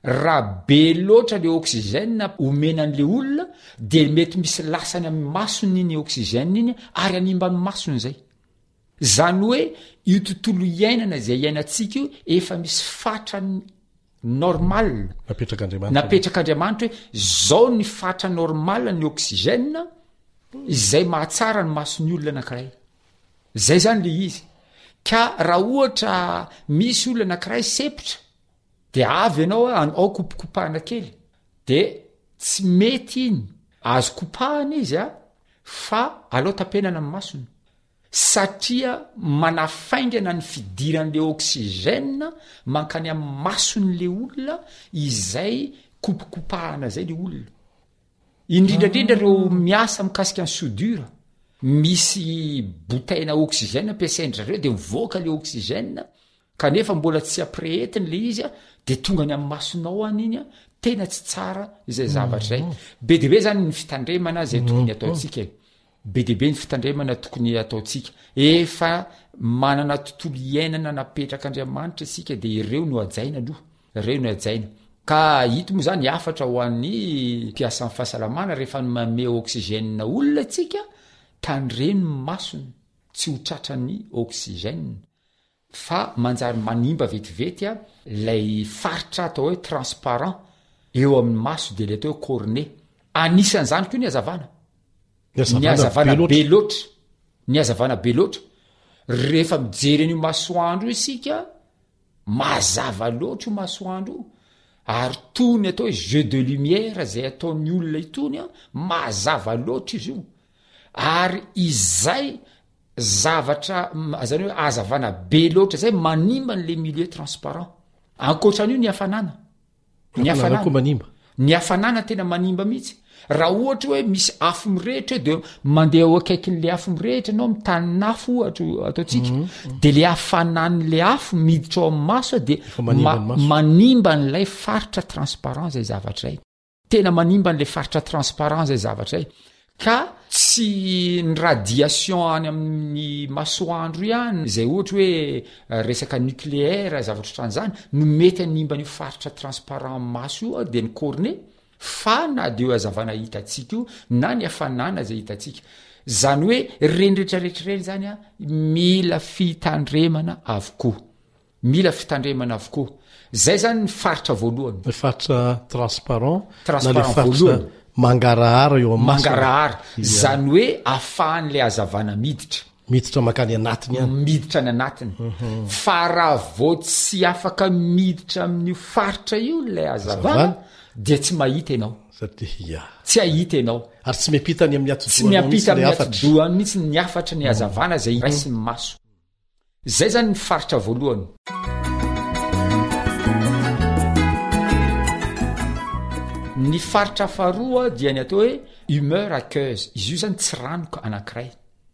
Raha be loatra le oxygène omena an'le olona de mety misy lasany amin'ny masony iny oxygène iny ary hanimba ny masony zay. Zany hoe io tontolo iainana zay iainantsika io efa misy fatrany normal Napetrak'Andriamanitra. Napetrak'Andriamanitra hoe zao ny fatra normal ny oxygène izay mahatsara ny mason'ny olona anankiray. Zay zany le izy. Ka raha ohatra misy olona anankiray sepotra de avy ianao a, ao kopikopahana kely de tsy mety iny, azo kopahana izy a fa aleo tapenana ny masony satria manafaingana ny fidiran'le oxygène mankany amin'ny mason'le olona izay kopikopahana zay le olona. Indrindrandrindra reo miasa mikasika ny soudure, misy bouteille oxygène ampiasain-dry zareo de mivoaka le oxygène kanefa mbola tsy ampirehetiny le izy a de tonga any amin'ny masonao any iny a, tena tsy tsara izay zavatra zay. Be dia be zany ny fitandremana zay tokony ataontsika e. Be dia be ny fitandremana tokony ataontsika. Efa manana tontolo iainana napetrak'Andriamanitra isika de ireo no hajaina aloha, ireo no hajaina. Ka ito moa zany hafatra ho an'ny mpiasan'ny fahasalamana rehefa manome oxygène olona tsika, tandremo ny masony tsy ho tratran'ny oxygène fa manjary manimba vetivety a lay faritra atao hoe transparent eo amin'ny maso de le atao hoe cornée. Anisan'izany koa ny hazavana. Ny hazavana be loatra. Ny hazavana be loatra. Rehefa mijery an'io masoandro io isika, mazava loatra io masoandro io. Ary toy ny atao hoe jeu de lumière zay ataon'ny olona itony a, mazava loatra izy io. Ary izay zavatra, zany hoe hazavana be loatra zay manimba an'le milieu transparent. Ankoatran'io ny hafanana. Ny hafanana koa manimba. Ny hafanana tena manimba mihitsy. Raha ohatra hoe misy afo mirehitra eo de mandeha eo akaikin'le afo mirehitra ianao, mitanin'afo ohatra ataontsika, Mhm. de le hafanan'le afo miditra ao amin'ny maso de Efa manimba ny ma- maso. manimba an'ilay faritra transparent zay zavatra zay. Tena manimba an'le faritra transparent zay zavatra zay. Ka tsy ny radiation any amin'ny masoandro ihany zay ohatra hoe resaka nucléaire zavatra ohatran'izany no mety hanimba an'io faritra transparent maso io de ny cornée, fa na de io hazavana hitantsika io na ny hafanana zay hitantsika. Zany hoe ireny rehetrarehetra ireny zany a mila fitandremana avokoa. Mila fitandremana avokoa. Zay zany ny faritra voalohany. Ny faritra transparent, na le Transparent faritra voalohany. mangarahara eo amin'ny maso. Mangarahara. Ia. Zany hoe ahafahan'ilay hazavana miditra. Miditra mankany anatiny any. Miditra any anatiny. Mhm. Fa raha vao tsy afaka miditra amin'io faritra io ilay hazavana, Hazavana. dia tsy mahita ianao. Satria, ia. Tsy hahita ianao. Ary tsy miampita any amin'ny atidohanao Tsy miampita mihitsy ilay amin'ny hafatra. atidohany mihitsy ny hafatra, ny Mhm. hazavana izay raisin'ny maso. Zay zany ny faritra voalohany. Ny faritra faharoa dia ny atao hoe humeur aqueuse. Izy io zany tsiranoka anankiray.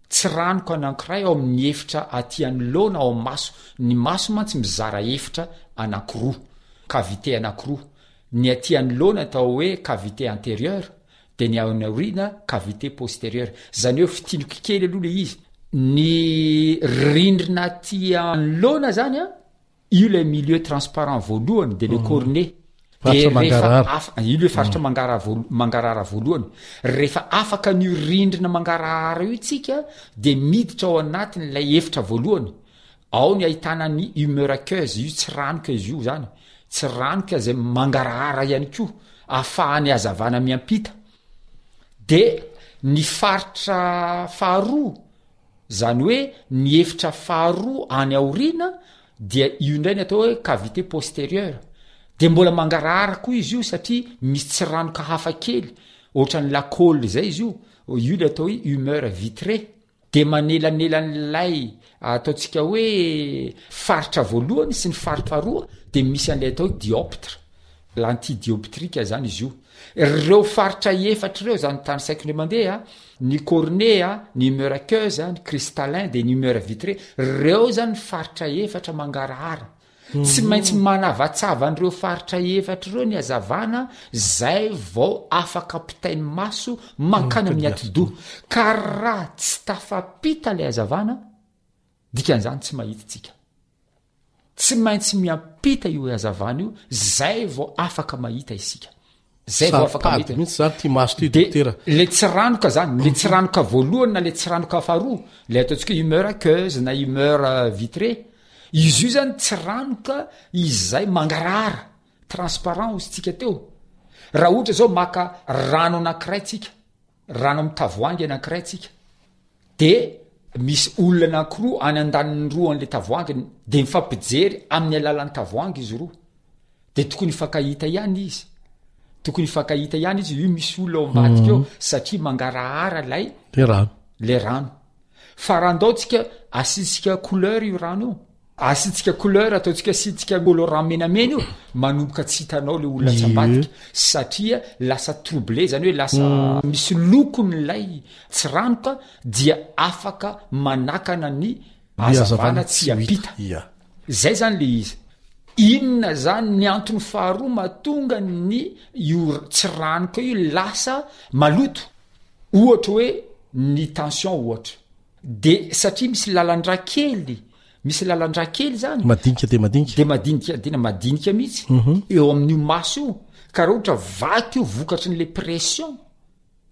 Tsiranoka anankiray ao amin'ny efitra aty anoloana ao amin'ny maso. Ny maso mantsy mizara efitra anankiroa, cavité anankiroa. Ny aty anoloana atao hoe cavité antérieure, de ny ao aoriana cavité postérieure. Zany hoe fitiniko kely aloha le izy. Ny rindrina aty anoloana zany a, io le milieu transparent voalohany, de le Mhm. cornée. Faritra De rehefa mangarahara. afa-, io le faritra Mhm. mangara voalo-, mangarahara voalohany. Rehefa afaka an'io rindrina mangarahara io tsika, de miditra ao anatin'ilay efitra voalohany. Ao ny ahitana ny humeur aqueuse, io tsy ranoka izy io zany. Tsy ranoka zay mangarahara ihany koa, ahafahany hazavana miampita. De ny faritra faharoa, zany hoe ny efitra faharoa any aoriana, dia io indray ny atao hoe cavité postérieure. De mbola mangarahara koa izy io satria misy tsiranoka hafa kely, ohatran'ny lakôly zay izy io. Io le atao hoe humeur vitrée. De manelanelan'ilay ataontsika hoe faritra voalohany sy ny faritra faharoa de misy an'ilay atao hoe dioptre, lentille dioptrique zany izy io. Reo faritra efatra ireo zany tanisaiko indray mandeha, ny cornée, ny humeur aqueuse, ny cristallin de ny humeur vitrée, reo zany faritra efatra mangarahara. Tsy maintsy manavatsava an'ireo faritra efatra ireo ny hazavana zay vao afaka ampitain'ny maso mankany amin'ny atidoha. Ka raha tsy tafapita ilay hazavana, dikan'izany tsy mahita tsika. Tsy maintsy miampita io hazavana io zay vao afaka mahita isika. Zay vao afaka Saro-pady mahita. mihitsy zany ty maso ty De dokotera. le tsiranoka zany, le tsiranoka voalohany na le tsiranoka faharoa, le ataontsika hoe humeur aqueuse na humeur euh, vitrée, izy io zany tsiranoka izay mangarahara, transparent hozy tsika teo. Raha ohatra zao maka rano anankiray tsika, rano amin'ny tavoahangy anankiray tsika, de misy olona anankiroa any andaniny roa an'le tavoahangy, de mifampijery amin'ny alalan'ny tavoahangy izy roa. De tokony hifankahita ihany izy. Tokony hifankahita ihany izy, io misy olona ao ambadika eo, satria mangarahara lay Le rano. le rano. Fa raha andao tsika asiantsika couleur io rano io, asiantsika couleur, ataontsika asiantsika colorant menamena io, manomboka tsy hitanao le olona tsy Ie. ambadika, satria lasa troublé, zany hoe lasa Mm. misy lokony lay tsiranoka, dia afaka manakana ny Ny hazavana hazavana tsy tsy ho hita. hampita. Ia. Zay zany le izy. Inona zany ny antony faharoa mahatonga ny io tsiranoka io lasa maloto? Ohatra hoe ny tension ohatra. De satria misy lalan-drà kely, misy lalan-drà kely zany. Madinika de madinika. De madinika, tena madinika mihitsy. Mhm. Eo amin'io maso io. Ka raha ohatra vaky io vokatry ny le pression,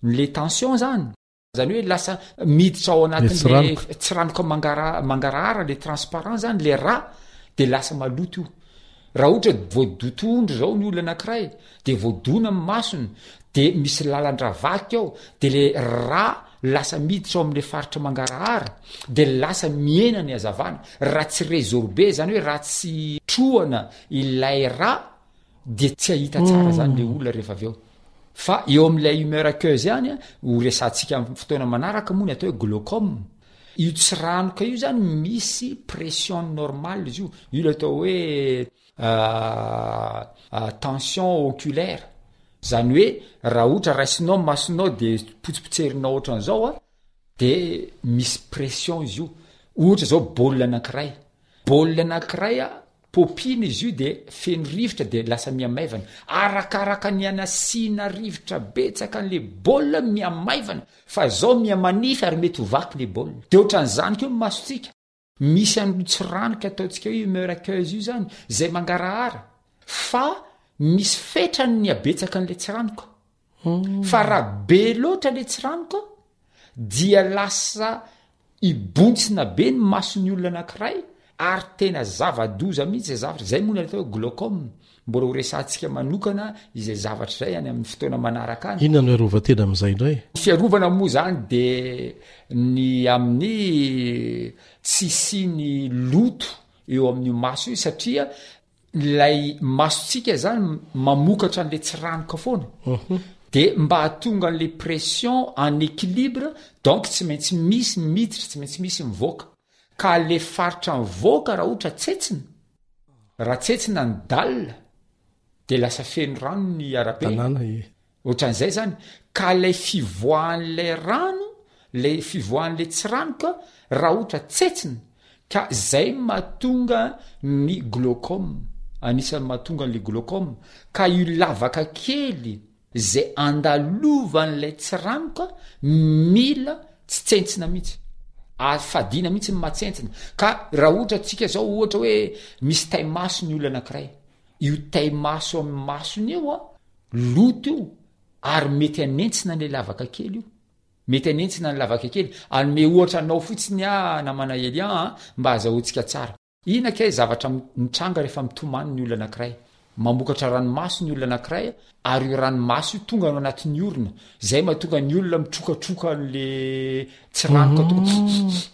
ny le tension zany. Zany hoe lasa miditra ao anatin'le tsiranoka. tsiranoka mangara-, mangarahara, le transparent zany, le rà, de lasa maloto io. Raha ohatra voadotondro zao ny olona anankiray, de voadona amin'ny masony, de misy lalan-drà vaky ao, de le rà lasa miditra ao amin'le faritra mangarahara, de lasa mihena ny hazavana. Raha tsy résorbé, zany hoe raha tsy trohana ilay rà, de tsy hahita tsara zany le olona rehefa avy eo. Fa eo amin'ilay humeur aqueuse ihany, ho resahantsika amin'ny fotoana manaraka moa ny atao hoe glaucome. Io tsiranoka io zany misy pression normale izy io. Io le atao hoe, euh, euh, tension oculaire. Zany hoe raha ohatra raisinao masonao de potsipotserinao ohatran'izao a, de misy pression izy io. Ohatra zao baolina anankiray. Baolina anankiray a, popina izy io de feno rivotra de lasa mihamaivana. Arakaraka ny anasiana rivotra betsaka an'le baolina mihamaivana, fa zao mihamanify ary mety ho vaky le baolina. De ohatran'izany koa ny masontsika. Misy an'io tsiranoka ataontsika hoe humeur aqueuse io zany, zay mangarahara, fa misy fetrany ny habetsaka an'le tsiranoka. Fa raha be loatra le tsiranoka, dia lasa ibontsina be ny mason'ny olona anankiray, ary tena zava-doza mihitsy zay zavatra. Zay moa ny atao hoe glaucome. Mbola ho resahantsika manokana izay zavatra izay any amin'ny fotoana manaraka any. Inona no fiarovan-tena amin'izay indray? Ny fiarovana moa zany de ny amin'ny tsy hisian'ny loto eo amin'io maso io, satria ilay masontsika zany mamokatra an'le tsiranoka foana. Mhm. De mba hahatonga an'le pression en équilibre, donc tsy maintsy misy miditra, tsy maintsy misy mivoaka. Ka le faritra mivoaka raha ohatra tsetsina, raha tsetsina ny dalle, de lasa feno rano ny arabe. Tanàna, ie. Ohatran'izay zany. Ka lay fivoahan'lay rano, lay fivoahan'lay tsiranoka, raha ohatra tsetsina, ka zay mahatonga ny glaucome. Anisan'ny mahatonga an'le glaucome. Ka io lavaka kely zay andalovan'lay tsiranoka mila tsy tsentsina mihitsy. Afadina mihitsy ny mahatsentsina. Ka raha ohatra tsika zao ohatra hoe misy taimaso ny olona anankiray, io taimaso amin'ny masony io a, loto io, ary mety hanentsina an'ilay lavaka kely io. Mety hanentsina ny lavaka kely. Anome ohatra anao fotsiny aho, namana Elian, a, mba azahoantsika tsara. Inona kay zavatra m-, mitranga rehefa mitomany ny olona anankiray? Mamokatra ranomaso ny olona anankiray, ary io ranomaso io tonga ao anatin'ny orona. Zay mahatonga ny olona mitrokatroka an'le tsiranoka tonga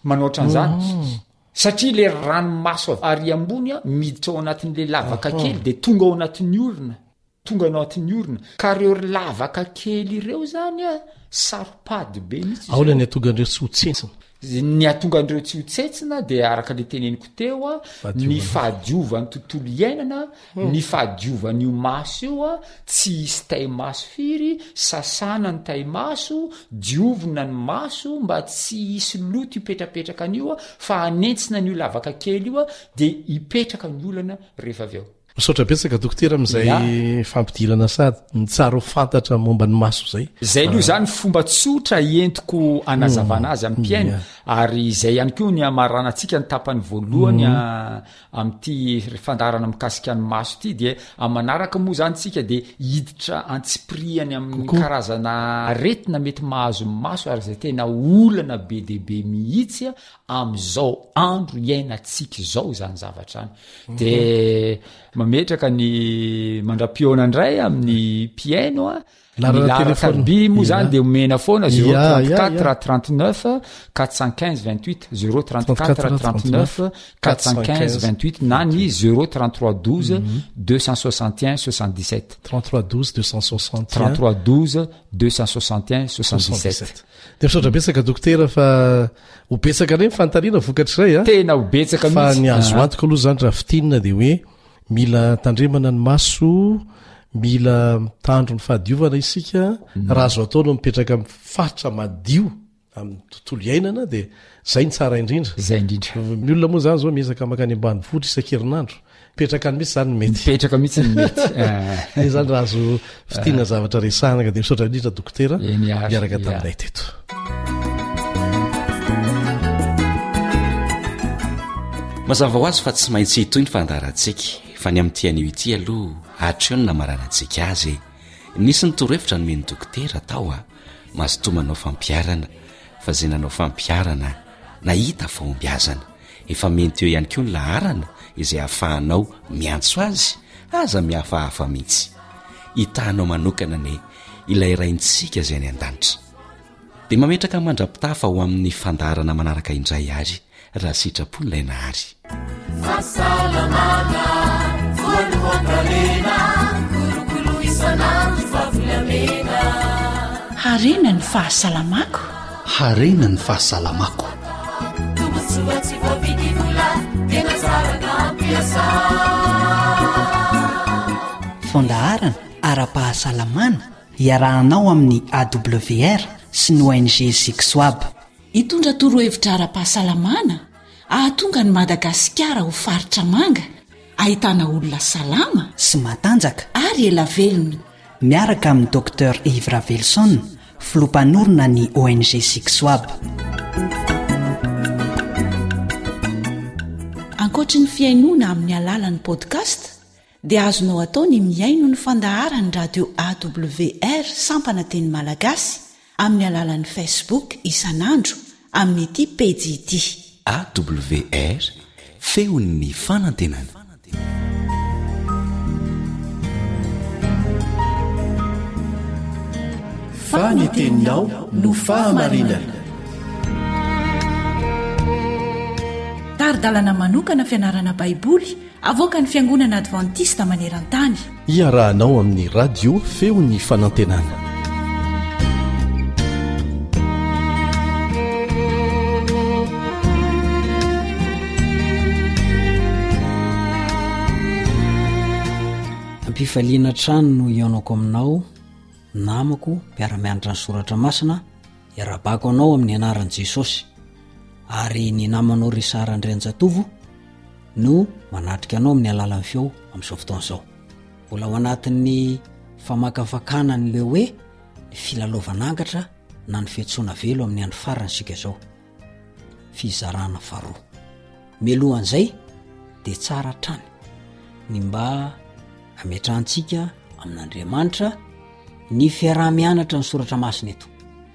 manao ohatran'izany. Mhm. Satria le ranomaso avy ary ambony a, miditra ao anatin'le lavaka Aha. kely, de tonga ao anatin'ny orona. Tonga anatin'ny orona. Ka reo ry lavaka kely ireo zany a, saro-pady be mihitsy izy Ahoana ireo. ny hahatonga an'ireo tsy ho tsentsina? Ny hahatonga an'ireo tsy ho tsentsina dia araka le teneniko teo a, ny Fahadiovana. fahadiovan'ny tontolo iainana, ny fahadiovan'io maso io a, tsy hisy tai-maso firy, sasana ny tai-maso, diovina ny maso mba tsy hisy loto hipetrapetraka an'io a, fa hanentsina an'io lavaka kely io a, dia hipetraka ny olana rehefa avy eo. Misaotra betsaka dokotera amin'izay fampidirana sady ny tsara ho fantatra momba ny maso izay. Zay aloha zany fomba tsotra entiko anazavana azy amin'ny mpihaino, ary izay ihany koa ny hamaranantsika ny tapany voalohany a-, amin'ity fandaharana mikasika ny maso ity, dia amin'ny manaraka moa zany tsika dia hiditra antsipiriany amin'ny Kokoa. karazana aretina mety mahazo ny maso, ary izay tena olana be dia be mihitsy amin'izao andro iainantsika izao izany zavatra any. De mametraka ny mandra-pihaona indray amin'ny mpihaino a. Ny Laharana laharana telefona. tariby moa zany Ya. de omena foana zéro Ya, trente ya, quatre ya. trente neuf quatre cent quinze vingt huit, zéro trente quatre trente neuf quatre cent quinze vingt huit na ny zéro trente trois douze deux cent soixante et un soixante dix sept. trente-trois douze deux cent soixante et un. trente-trois douze deux cent soixante et un soixante-dix-sept. De misaotra betsaka dokotera fa ho betsaka indray ny fanontaniana vokatr'izay a. Tena ho betsaka Fa mihitsy. ny azo Ah. antoka aloha zany raha fintinina de hoe mila tandremana ny maso, mila mitandro ny fahadiovana isika, Mm. raha azo atao no mipetraka amin'ny faritra madio amin'ny tontolo iainana de zay ny tsara indrindra. Zay indrindra. Ny olona moa zany zao miezaka mankany ambanivohitra isan-kerinandro. Mipetraka any mihitsy zany ny mety. Mipetraka mihitsy ny mety. Eh. Zay zany raha azo fintinina zavatra resahana ka de misaotra indrindra dokotera Eny ary, miaraka ya. taminay teto. Mazava ho azy fa tsy maintsy hitohy ny fandaharantsika, fa ny amin'ity anio ity aloha hatreo ny namaranantsika azy. Nisy ny torohevitra nomen'ny dokotera tao a, mazotoa manao fampiharana, fa izay nanao fampiharana nahita fahombiazana. Efa mety eo ihany koa ny laharana izay ahafahanao miantso azy, aza mihafahafa mihitsy. Hitanao manokana anie ilay raintsika izay any an-danitra. Dia mametraka mandra-pitafa ho amin'ny fandaharana manaraka indray ary raha sitrapo ilay nahary. Fahasalamana voalohan-karena, kolokolo isan'andro fa volamena. Harena ny fahasalamako. Harena ny fahasalamako. Tombontsoa tsy voavidy vola, tena tsara ka ampiasa. Fandaharana ara-pahasalamana iarahanao amin'ny A W R sy ny O N G Zixoab. Hitondra torohevitra ara-pahasalamana ahatonga ny Madagasikara ho faritra manga, ahitana olona salama sy matanjaka ary ela velona. Miaraka amin'ny docteur Yves Ravelison, filoha mpanorina ny O N G Zixoab. Ankoatry ny fihainoana amin'ny alalan'ny podcast dia azonao atao ny mihaino ny fandaharan'ny radio A W R sampana teny malagasy amin'ny alalan'ny Facebook isan'andro amin'ity pejy ity. A W R, feon'ny fanantenana. Fa ny teninao no fahamarinana. Tari-dalana manokana fianarana Baiboly avoakan'ny Fiangonana Adventista maneran-tany. Iarahanao amin'ny radio feon'ny fanantenana. Ampifaliana hatrany no hihaonako aminao, namako mpiara-mianatra ny soratra masina, iarabako anao amin'ny anaran'i Jesosy. Ary ny namanao Richard Andrianjatovo no manatrika anao amin'ny alalan'ny feo amin'izao fotoana izao. Mbola ao anatin'ny famakafakana an'ilay hoe ny filalaovana angatra na ny fiantsoana velo amin'ny andro farany isika izao. Fizarana faharoa. Mialohan'izay dia tsara hatrany ny mba ametrahantsika amin'Andriamanitra ny fiaraha-mianatra ny soratra masina eto,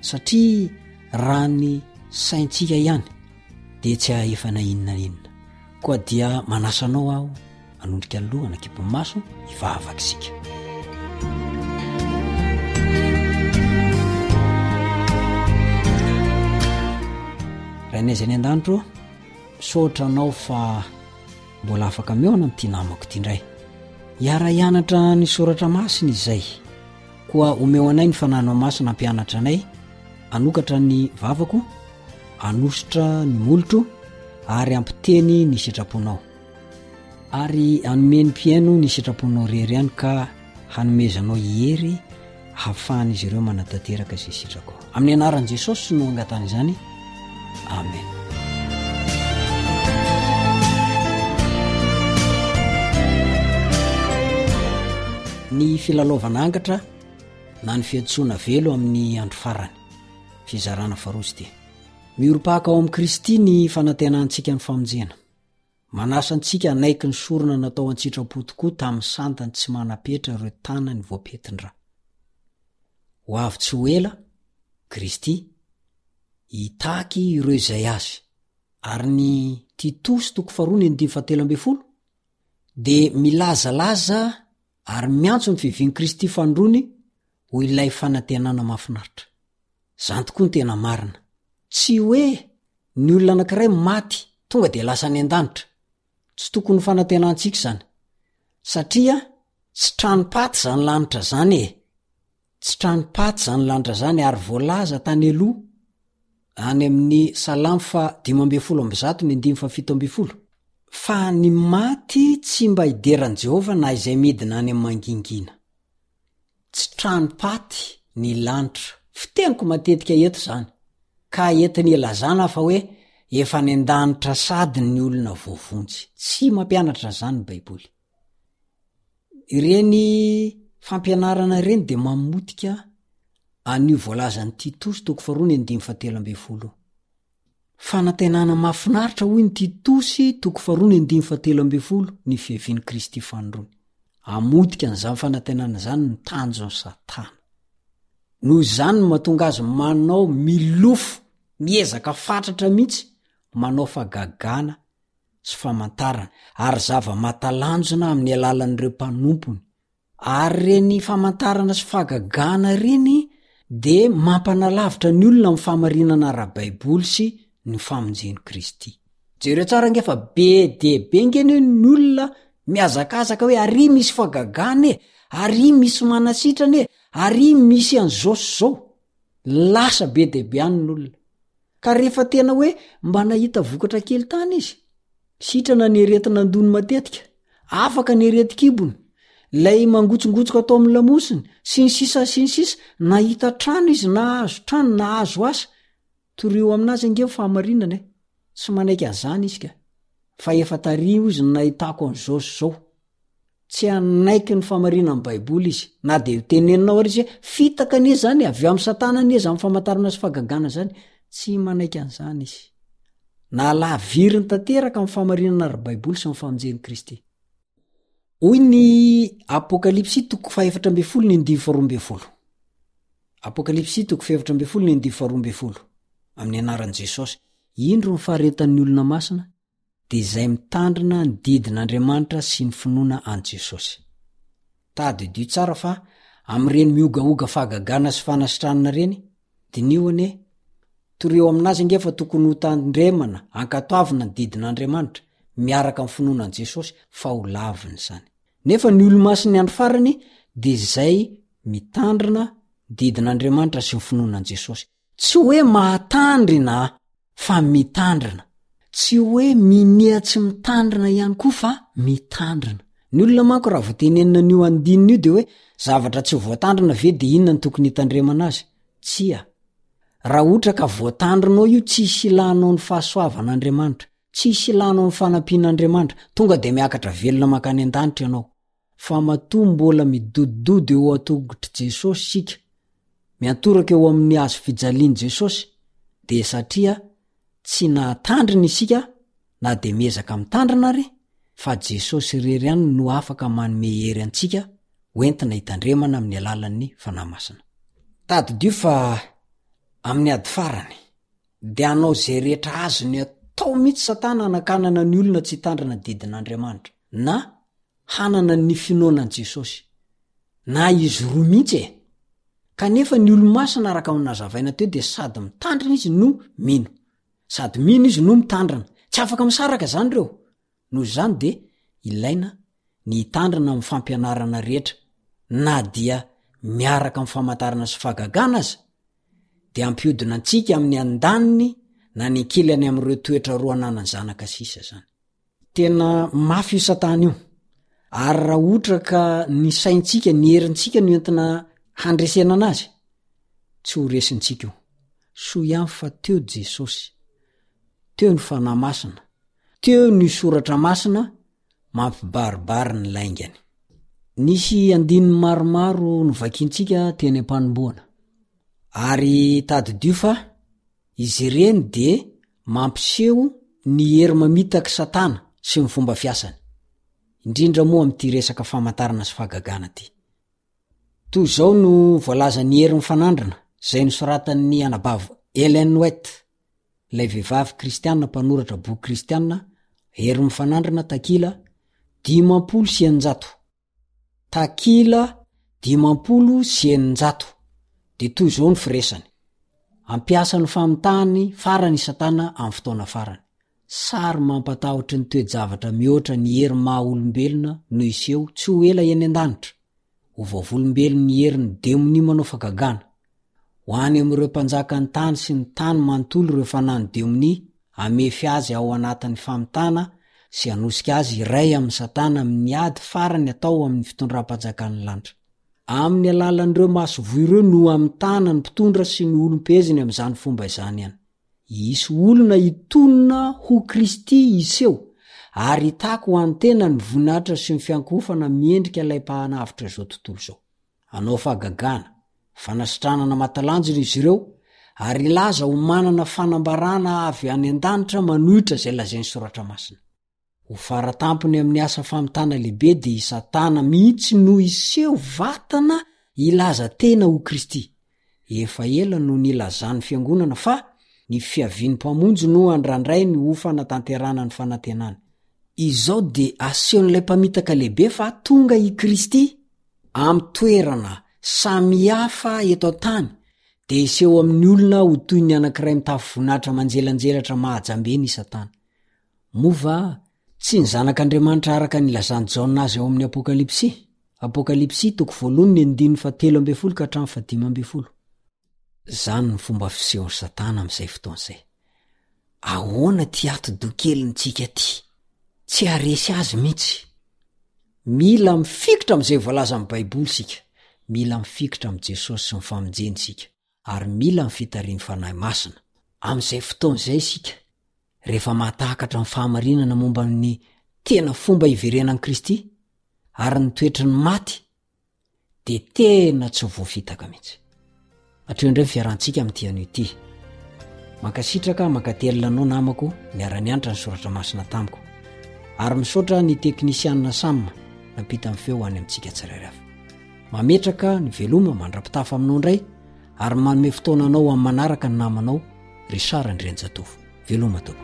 satria raha ny saintsika ihany dia tsy hahefa na inona na inona. Koa dia manasa anao aho hanondrika ny loha hanakipy ny maso hivavaka isika. Rainay izay any an-danitra ô, misaotra anao fa mbola afaka mihaona amin'ity namako ity indray. Hiara-hianatra ny soratra masina izay. Koa omeo anay ny Fanahinao Masina hampianatra anay, hanokatra ny vavako, hanosotra ny molotro, ary hampiteny ny sitraponao. Ary hanome ny mpihaino ny sitraponao rery ihany ka hanomezanao hery hahafahan'izy ireo manatanteraka izay sitrakao. Amin'ny anaran'i Jesosy no angatahana izany. Amen. Ny filalaovana angatra na ny fiantsoana velo amin'ny andro farany. Fizarana faharoa izy ity. Miorim-paka ao amin'i Kristy ny fanantenantsika ny famonjena. Manasa antsika hanaiky ny sorona natao an-tsitrapo tokoa tamin'ny santany tsy manam-petra ireo tanany voapentin-dra. Ho avy tsy ho ela, Kristy, hitaky ireo izay Azy. Ary ny Titosy toko faharoa ny andininy fahatelo ambin'ny folo dia milazalaza ary miantso ny fiavian'i Kristy fanindroany ho ilay fanantenana mahafinaritra. Izany tokoa no tena marina. Tsy hoe ny olona anankiray maty tonga dia lasa any an-danitra. Tsy tokony ho fanantenantsika izany. Satria tsy tranom-paty izany lanitra izany e! Tsy tranom-paty izany lanitra izany ary voalaza tany aloha any amin'ny Salamo faha dimy ambin'ny folo amby zato ny andininy fahafito ambin'ny folo fa ny maty tsy mba hidera an'i Jehovah na izay midina any amin'ny mangingina. Tsy tranom-paty ny lanitra. Fiteniko matetika eto izany. Ka entiny ilazana fa hoe efa any an-danitra sady ny olona voavonjy. Tsy mampianatra an'izany ny Baiboly. Ireny fampianarana ireny dia mamotika an'io voalazan'i Titosy toko faharoa ny andininy fahatelo ambin'ny folo io. Fanantenana mahafinaritra hoy ny Titosy toko faharoa ny andininy fahatelo ambin'ny folo ny fiavian'i Kristy fanindroany. Hamotika an'izany fanantenana izany ny tanjon'i Satana. Noho izany no mahatonga azy manao milofo, miezaka fatratra mihitsy manao fahagagana sy famantarana ary zava-mahatalanjona amin'ny alalan'ireo mpanompony. Ary ireny famantarana sy fahagagana ireny dia mampanalavitra ny olona amin'ny fahamarinana ara-baiboly sy ny famonjen'i Kristy. Jereo tsara ange fa be dia be ange anie ny olona mihazakazaka hoe ary misy fahagagana e, ary misy manasitrana e, ary misy an'izao sy izao. Lasa be dia be any ny olona. Ka rehefa tena hoe mba nahita vokatra kely tany izy, sitrana ny aretina an-dohany matetika, afaka ny aretin-kibony, ilay mangotsongotsoka atao amin'ny lamosiny, sy ny sisa sy ny sisa, nahita trano izy, nahazo trano, nahazo asa. Torio aminazy ange ny fahamarinana e! Tsy manaiky an'izany izy ka. Fa efa tary hozy ny nahitako an'izao sy izao. Tsy hanaiky ny fahamarinan'ny Baiboly izy, na dia hoteneninao ary izy hoe, fitaka anie izany, avy amin'i Satana anie izany famantarana sy fahagagana izany. Tsy manaiky an'izany izy. Nahalaviriny tanteraka amin'ny fahamarinana ara-baiboly sy ny famonjen'i Kristy. Hoy ny Apokalypsy toko fahefatra ambin'ny folo ny andininy faharoa ambin'ny folo. Apokalypsy toko fahefatra ambin'ny folo ny andininy faharoa ambin'ny folo. Amin'ny anaran'i Jesosy. Indro ny faharetan'ny olona masina, dia izay mitandrina ny didin'Andriamanitra sy ny finoana an'i Jesosy. Tadidio tsara fa amin'ireny miogaoga fahagagana sy fanasitranana ireny, diniho anie, torio aminazy ange fa tokony ho tandremana, ankatoavina ny didin'Andriamanitra, miaraka amin'ny finoana an'i Jesosy, fa ho laviny izany. Nefa ny olo-masin'ny andro farany dia izay mitandrina ny didin'Andriamanitra sy ny finoana an'i Jesosy. Tsy hoe mahatandrina fa mitandrina. Tsy hoe minia tsy mitandrina ihany koa fa mitandrina. Ny olona manko raha vao tenenina an'io andininy io de hoe zavatra tsy voatandrina ve de inona no tokony hitandremana azy? Tsia. Raha ohatra ka voatandrinao io tsisy ilanao ny fahasoavan'Andriamanitra, tsisy ilanao ny fanampian'Andriamanitra, tonga de miakatra velona mankany an-danitra ianao. Fa matoa mbola midodododo eo an-tongotr'i Jesosy isika, miantoraka eo amin'ny hazo fijalian'i Jesosy, dia satria tsy nahatandrina isika na dia miezaka mitandrina ary, fa Jesosy irery ihany no afaka manome hery antsika hoentina hitandremana amin'ny alalan'ny Fanahy Masina. Tadidio fa amin'ny ady farany, dia hanao izay rehetra azony atao mihitsy Satana hanakanana ny olona tsy hitandrina ny didin'Andriamanitra, na hanana ny finoana an'i Jesosy. Na izy roa mihitsy e! Kanefa ny olo-masina araka ny nazavaina teo dia sady mitandrina izy no mino. Sady mino izy no mitandrina. Tsy afaka misaraka izany ireo. Noho izany dia ilaina ny hitandrina amin'ny fampianarana rehetra na dia miaraka amin'ny famantarana sy fahagagana aza, dia hampiodina antsika amin'ny andaniny na ny ankilany amin'ireo toetra roa ananan'ny zanaka sisa izany. Tena mafy io satana io, ary raha ohatra ka ny saintsika, ny herintsika no entina handresena anazy, tsy ho resintsika io. Soa ihany fa teo Jesosy, teo ny Fanahy Masina, teo ny Soratra Masina mampibaribary ny laingany. Nisy andininy maromaro novakintsika teny am-panombohana, ary tadidio fa izy ireny dia mampiseho ny hery mamitak'i Satana sy ny fomba fiasany, indrindra moa amin'ity resaka famantarana sy fahagagana ity. Toy izao no voalazan'ny Hery Mifanandrina, izay nosoratan'ny anabavy Ellen White, ilay vehivavy kristiana mpanoratra boky kristiana, Hery Mifanandrina, takila dimampolo sy eninjato. Takila dimampolo sy eninjato. Dia toy izao ny firesany, Hampiasa ny famitahany farany i Satana amin'ny fotoana farany. Sary mampatahotry ny toe-javatra mihoatra ny hery maha olombelona no hiseho tsy ho ela eny an-danitra. Ho vavolombelon'ny herin'ny demonia manao fagagana. Ho any amin'ireo mpanjakan'ny tany sy ny tany manontolo ireo fanahin'ny demonia hamefy azy ao anatin'ny famitana sy hanosika azy hiray amin'i Satana amin'ny ady farany atao amin'ny fitondram-panjakan'ny lanitra. Amin'ny alalan'ireo masoivoho ireo no hamitana ny mpitondra sy ny olom-peheziny amin'izany fomba izany ihany. Hisy olona hitonona ho Kristy hiseho ary hitaky ho an'ny tena ny voninahitra sy ny fiankohofana miendrika ilay Mpanavotra izao tontolo izao. Hanao fahagagana, fanasitranana mahatalanjona izy ireo ary hilaza ho manana fanambarana avy any an-danitra manohitra izay lazain'ny Soratra Masina. Ho fara tampony amin'ny asa famitana lehibe dia i Satana mihitsy no hiseho vatana hilaza tena ho Kristy. Efa ela no nilazan'ny Fiangonana fa ny fiavian'ny Mpamonjy no andrandrainy ho fanatanterahana ny fanantenany. Izao dia asehon'ilay mpamitaka lehibe fa tonga i Kristy amin'ny toerana samihafa eto an-tany dia hiseho amin'ny olona ho toy ny anankiray mitafy voninahitra manjelanjelatra mahajambena i Satana. Moa va tsy ny Zanak'Andriamanitra araka ny ilazan'i Jaona azy ao amin'ny Apokalypsy? Apokalypsy toko voalohany ny andininy fahatelo ambin'ny folo ka hatramin'ny fahadimy ambin'ny folo. Izany no fomba fisehon'i Satana amin'izay fotoana izay. Ahoana ity atidoha kelintsika ity? Tsy haharesy azy mihitsy. Mila mifikitra amin'izay voalazan'ny Baiboly isika. Mila mifikitra amin'i Jesosy sy ny famonjeny isika. Ary mila ny fitarihin'ny Fanahy Masina. Amin'izay fotoana izay isika rehefa mahatakatra ny fahamarinana momba ny tena fomba hiverenan'i Kristy ary ny toetry ny maty dia tena tsy ho voafitaka mihitsy. Hatreo indray ny fiarahantsika amin'ity anio ity. Mankasitraka mankatelina anao namako niara-nianatra ny soratra masina tamiko. Ary misaotra ny teknisianina Sam nampita ny feo any amintsika tsirairay avy. Mametraka ny veloma mandra-pitafa aminao indray ary manome fotoana anao amin'ny manaraka ny namanao Richard Andrianjatovo. Veloma tompoko.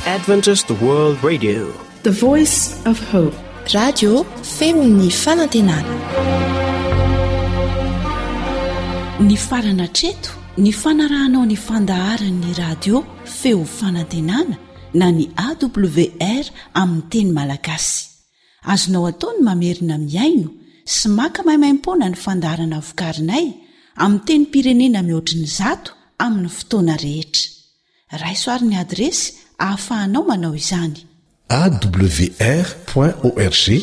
Adventist World Radio. The Voice of Hope. Radio feon'ny fanantenana. Nifarana hatreto ny fanarahanao ny fandaharan'ny radio feo fanantenana na ny A W R amin'ny teny malagasy. Azonao atao ny mamerina mihaino sy maka maimaimpoana ny fandaharana vokarinay amin'ny tenim-pirenena mihoatry ny zato amin'ny fotoana rehetra. Raiso ary ny adiresy ahafahanao manao izany. A W R point org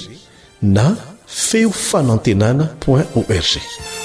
na feo fanantenana point org.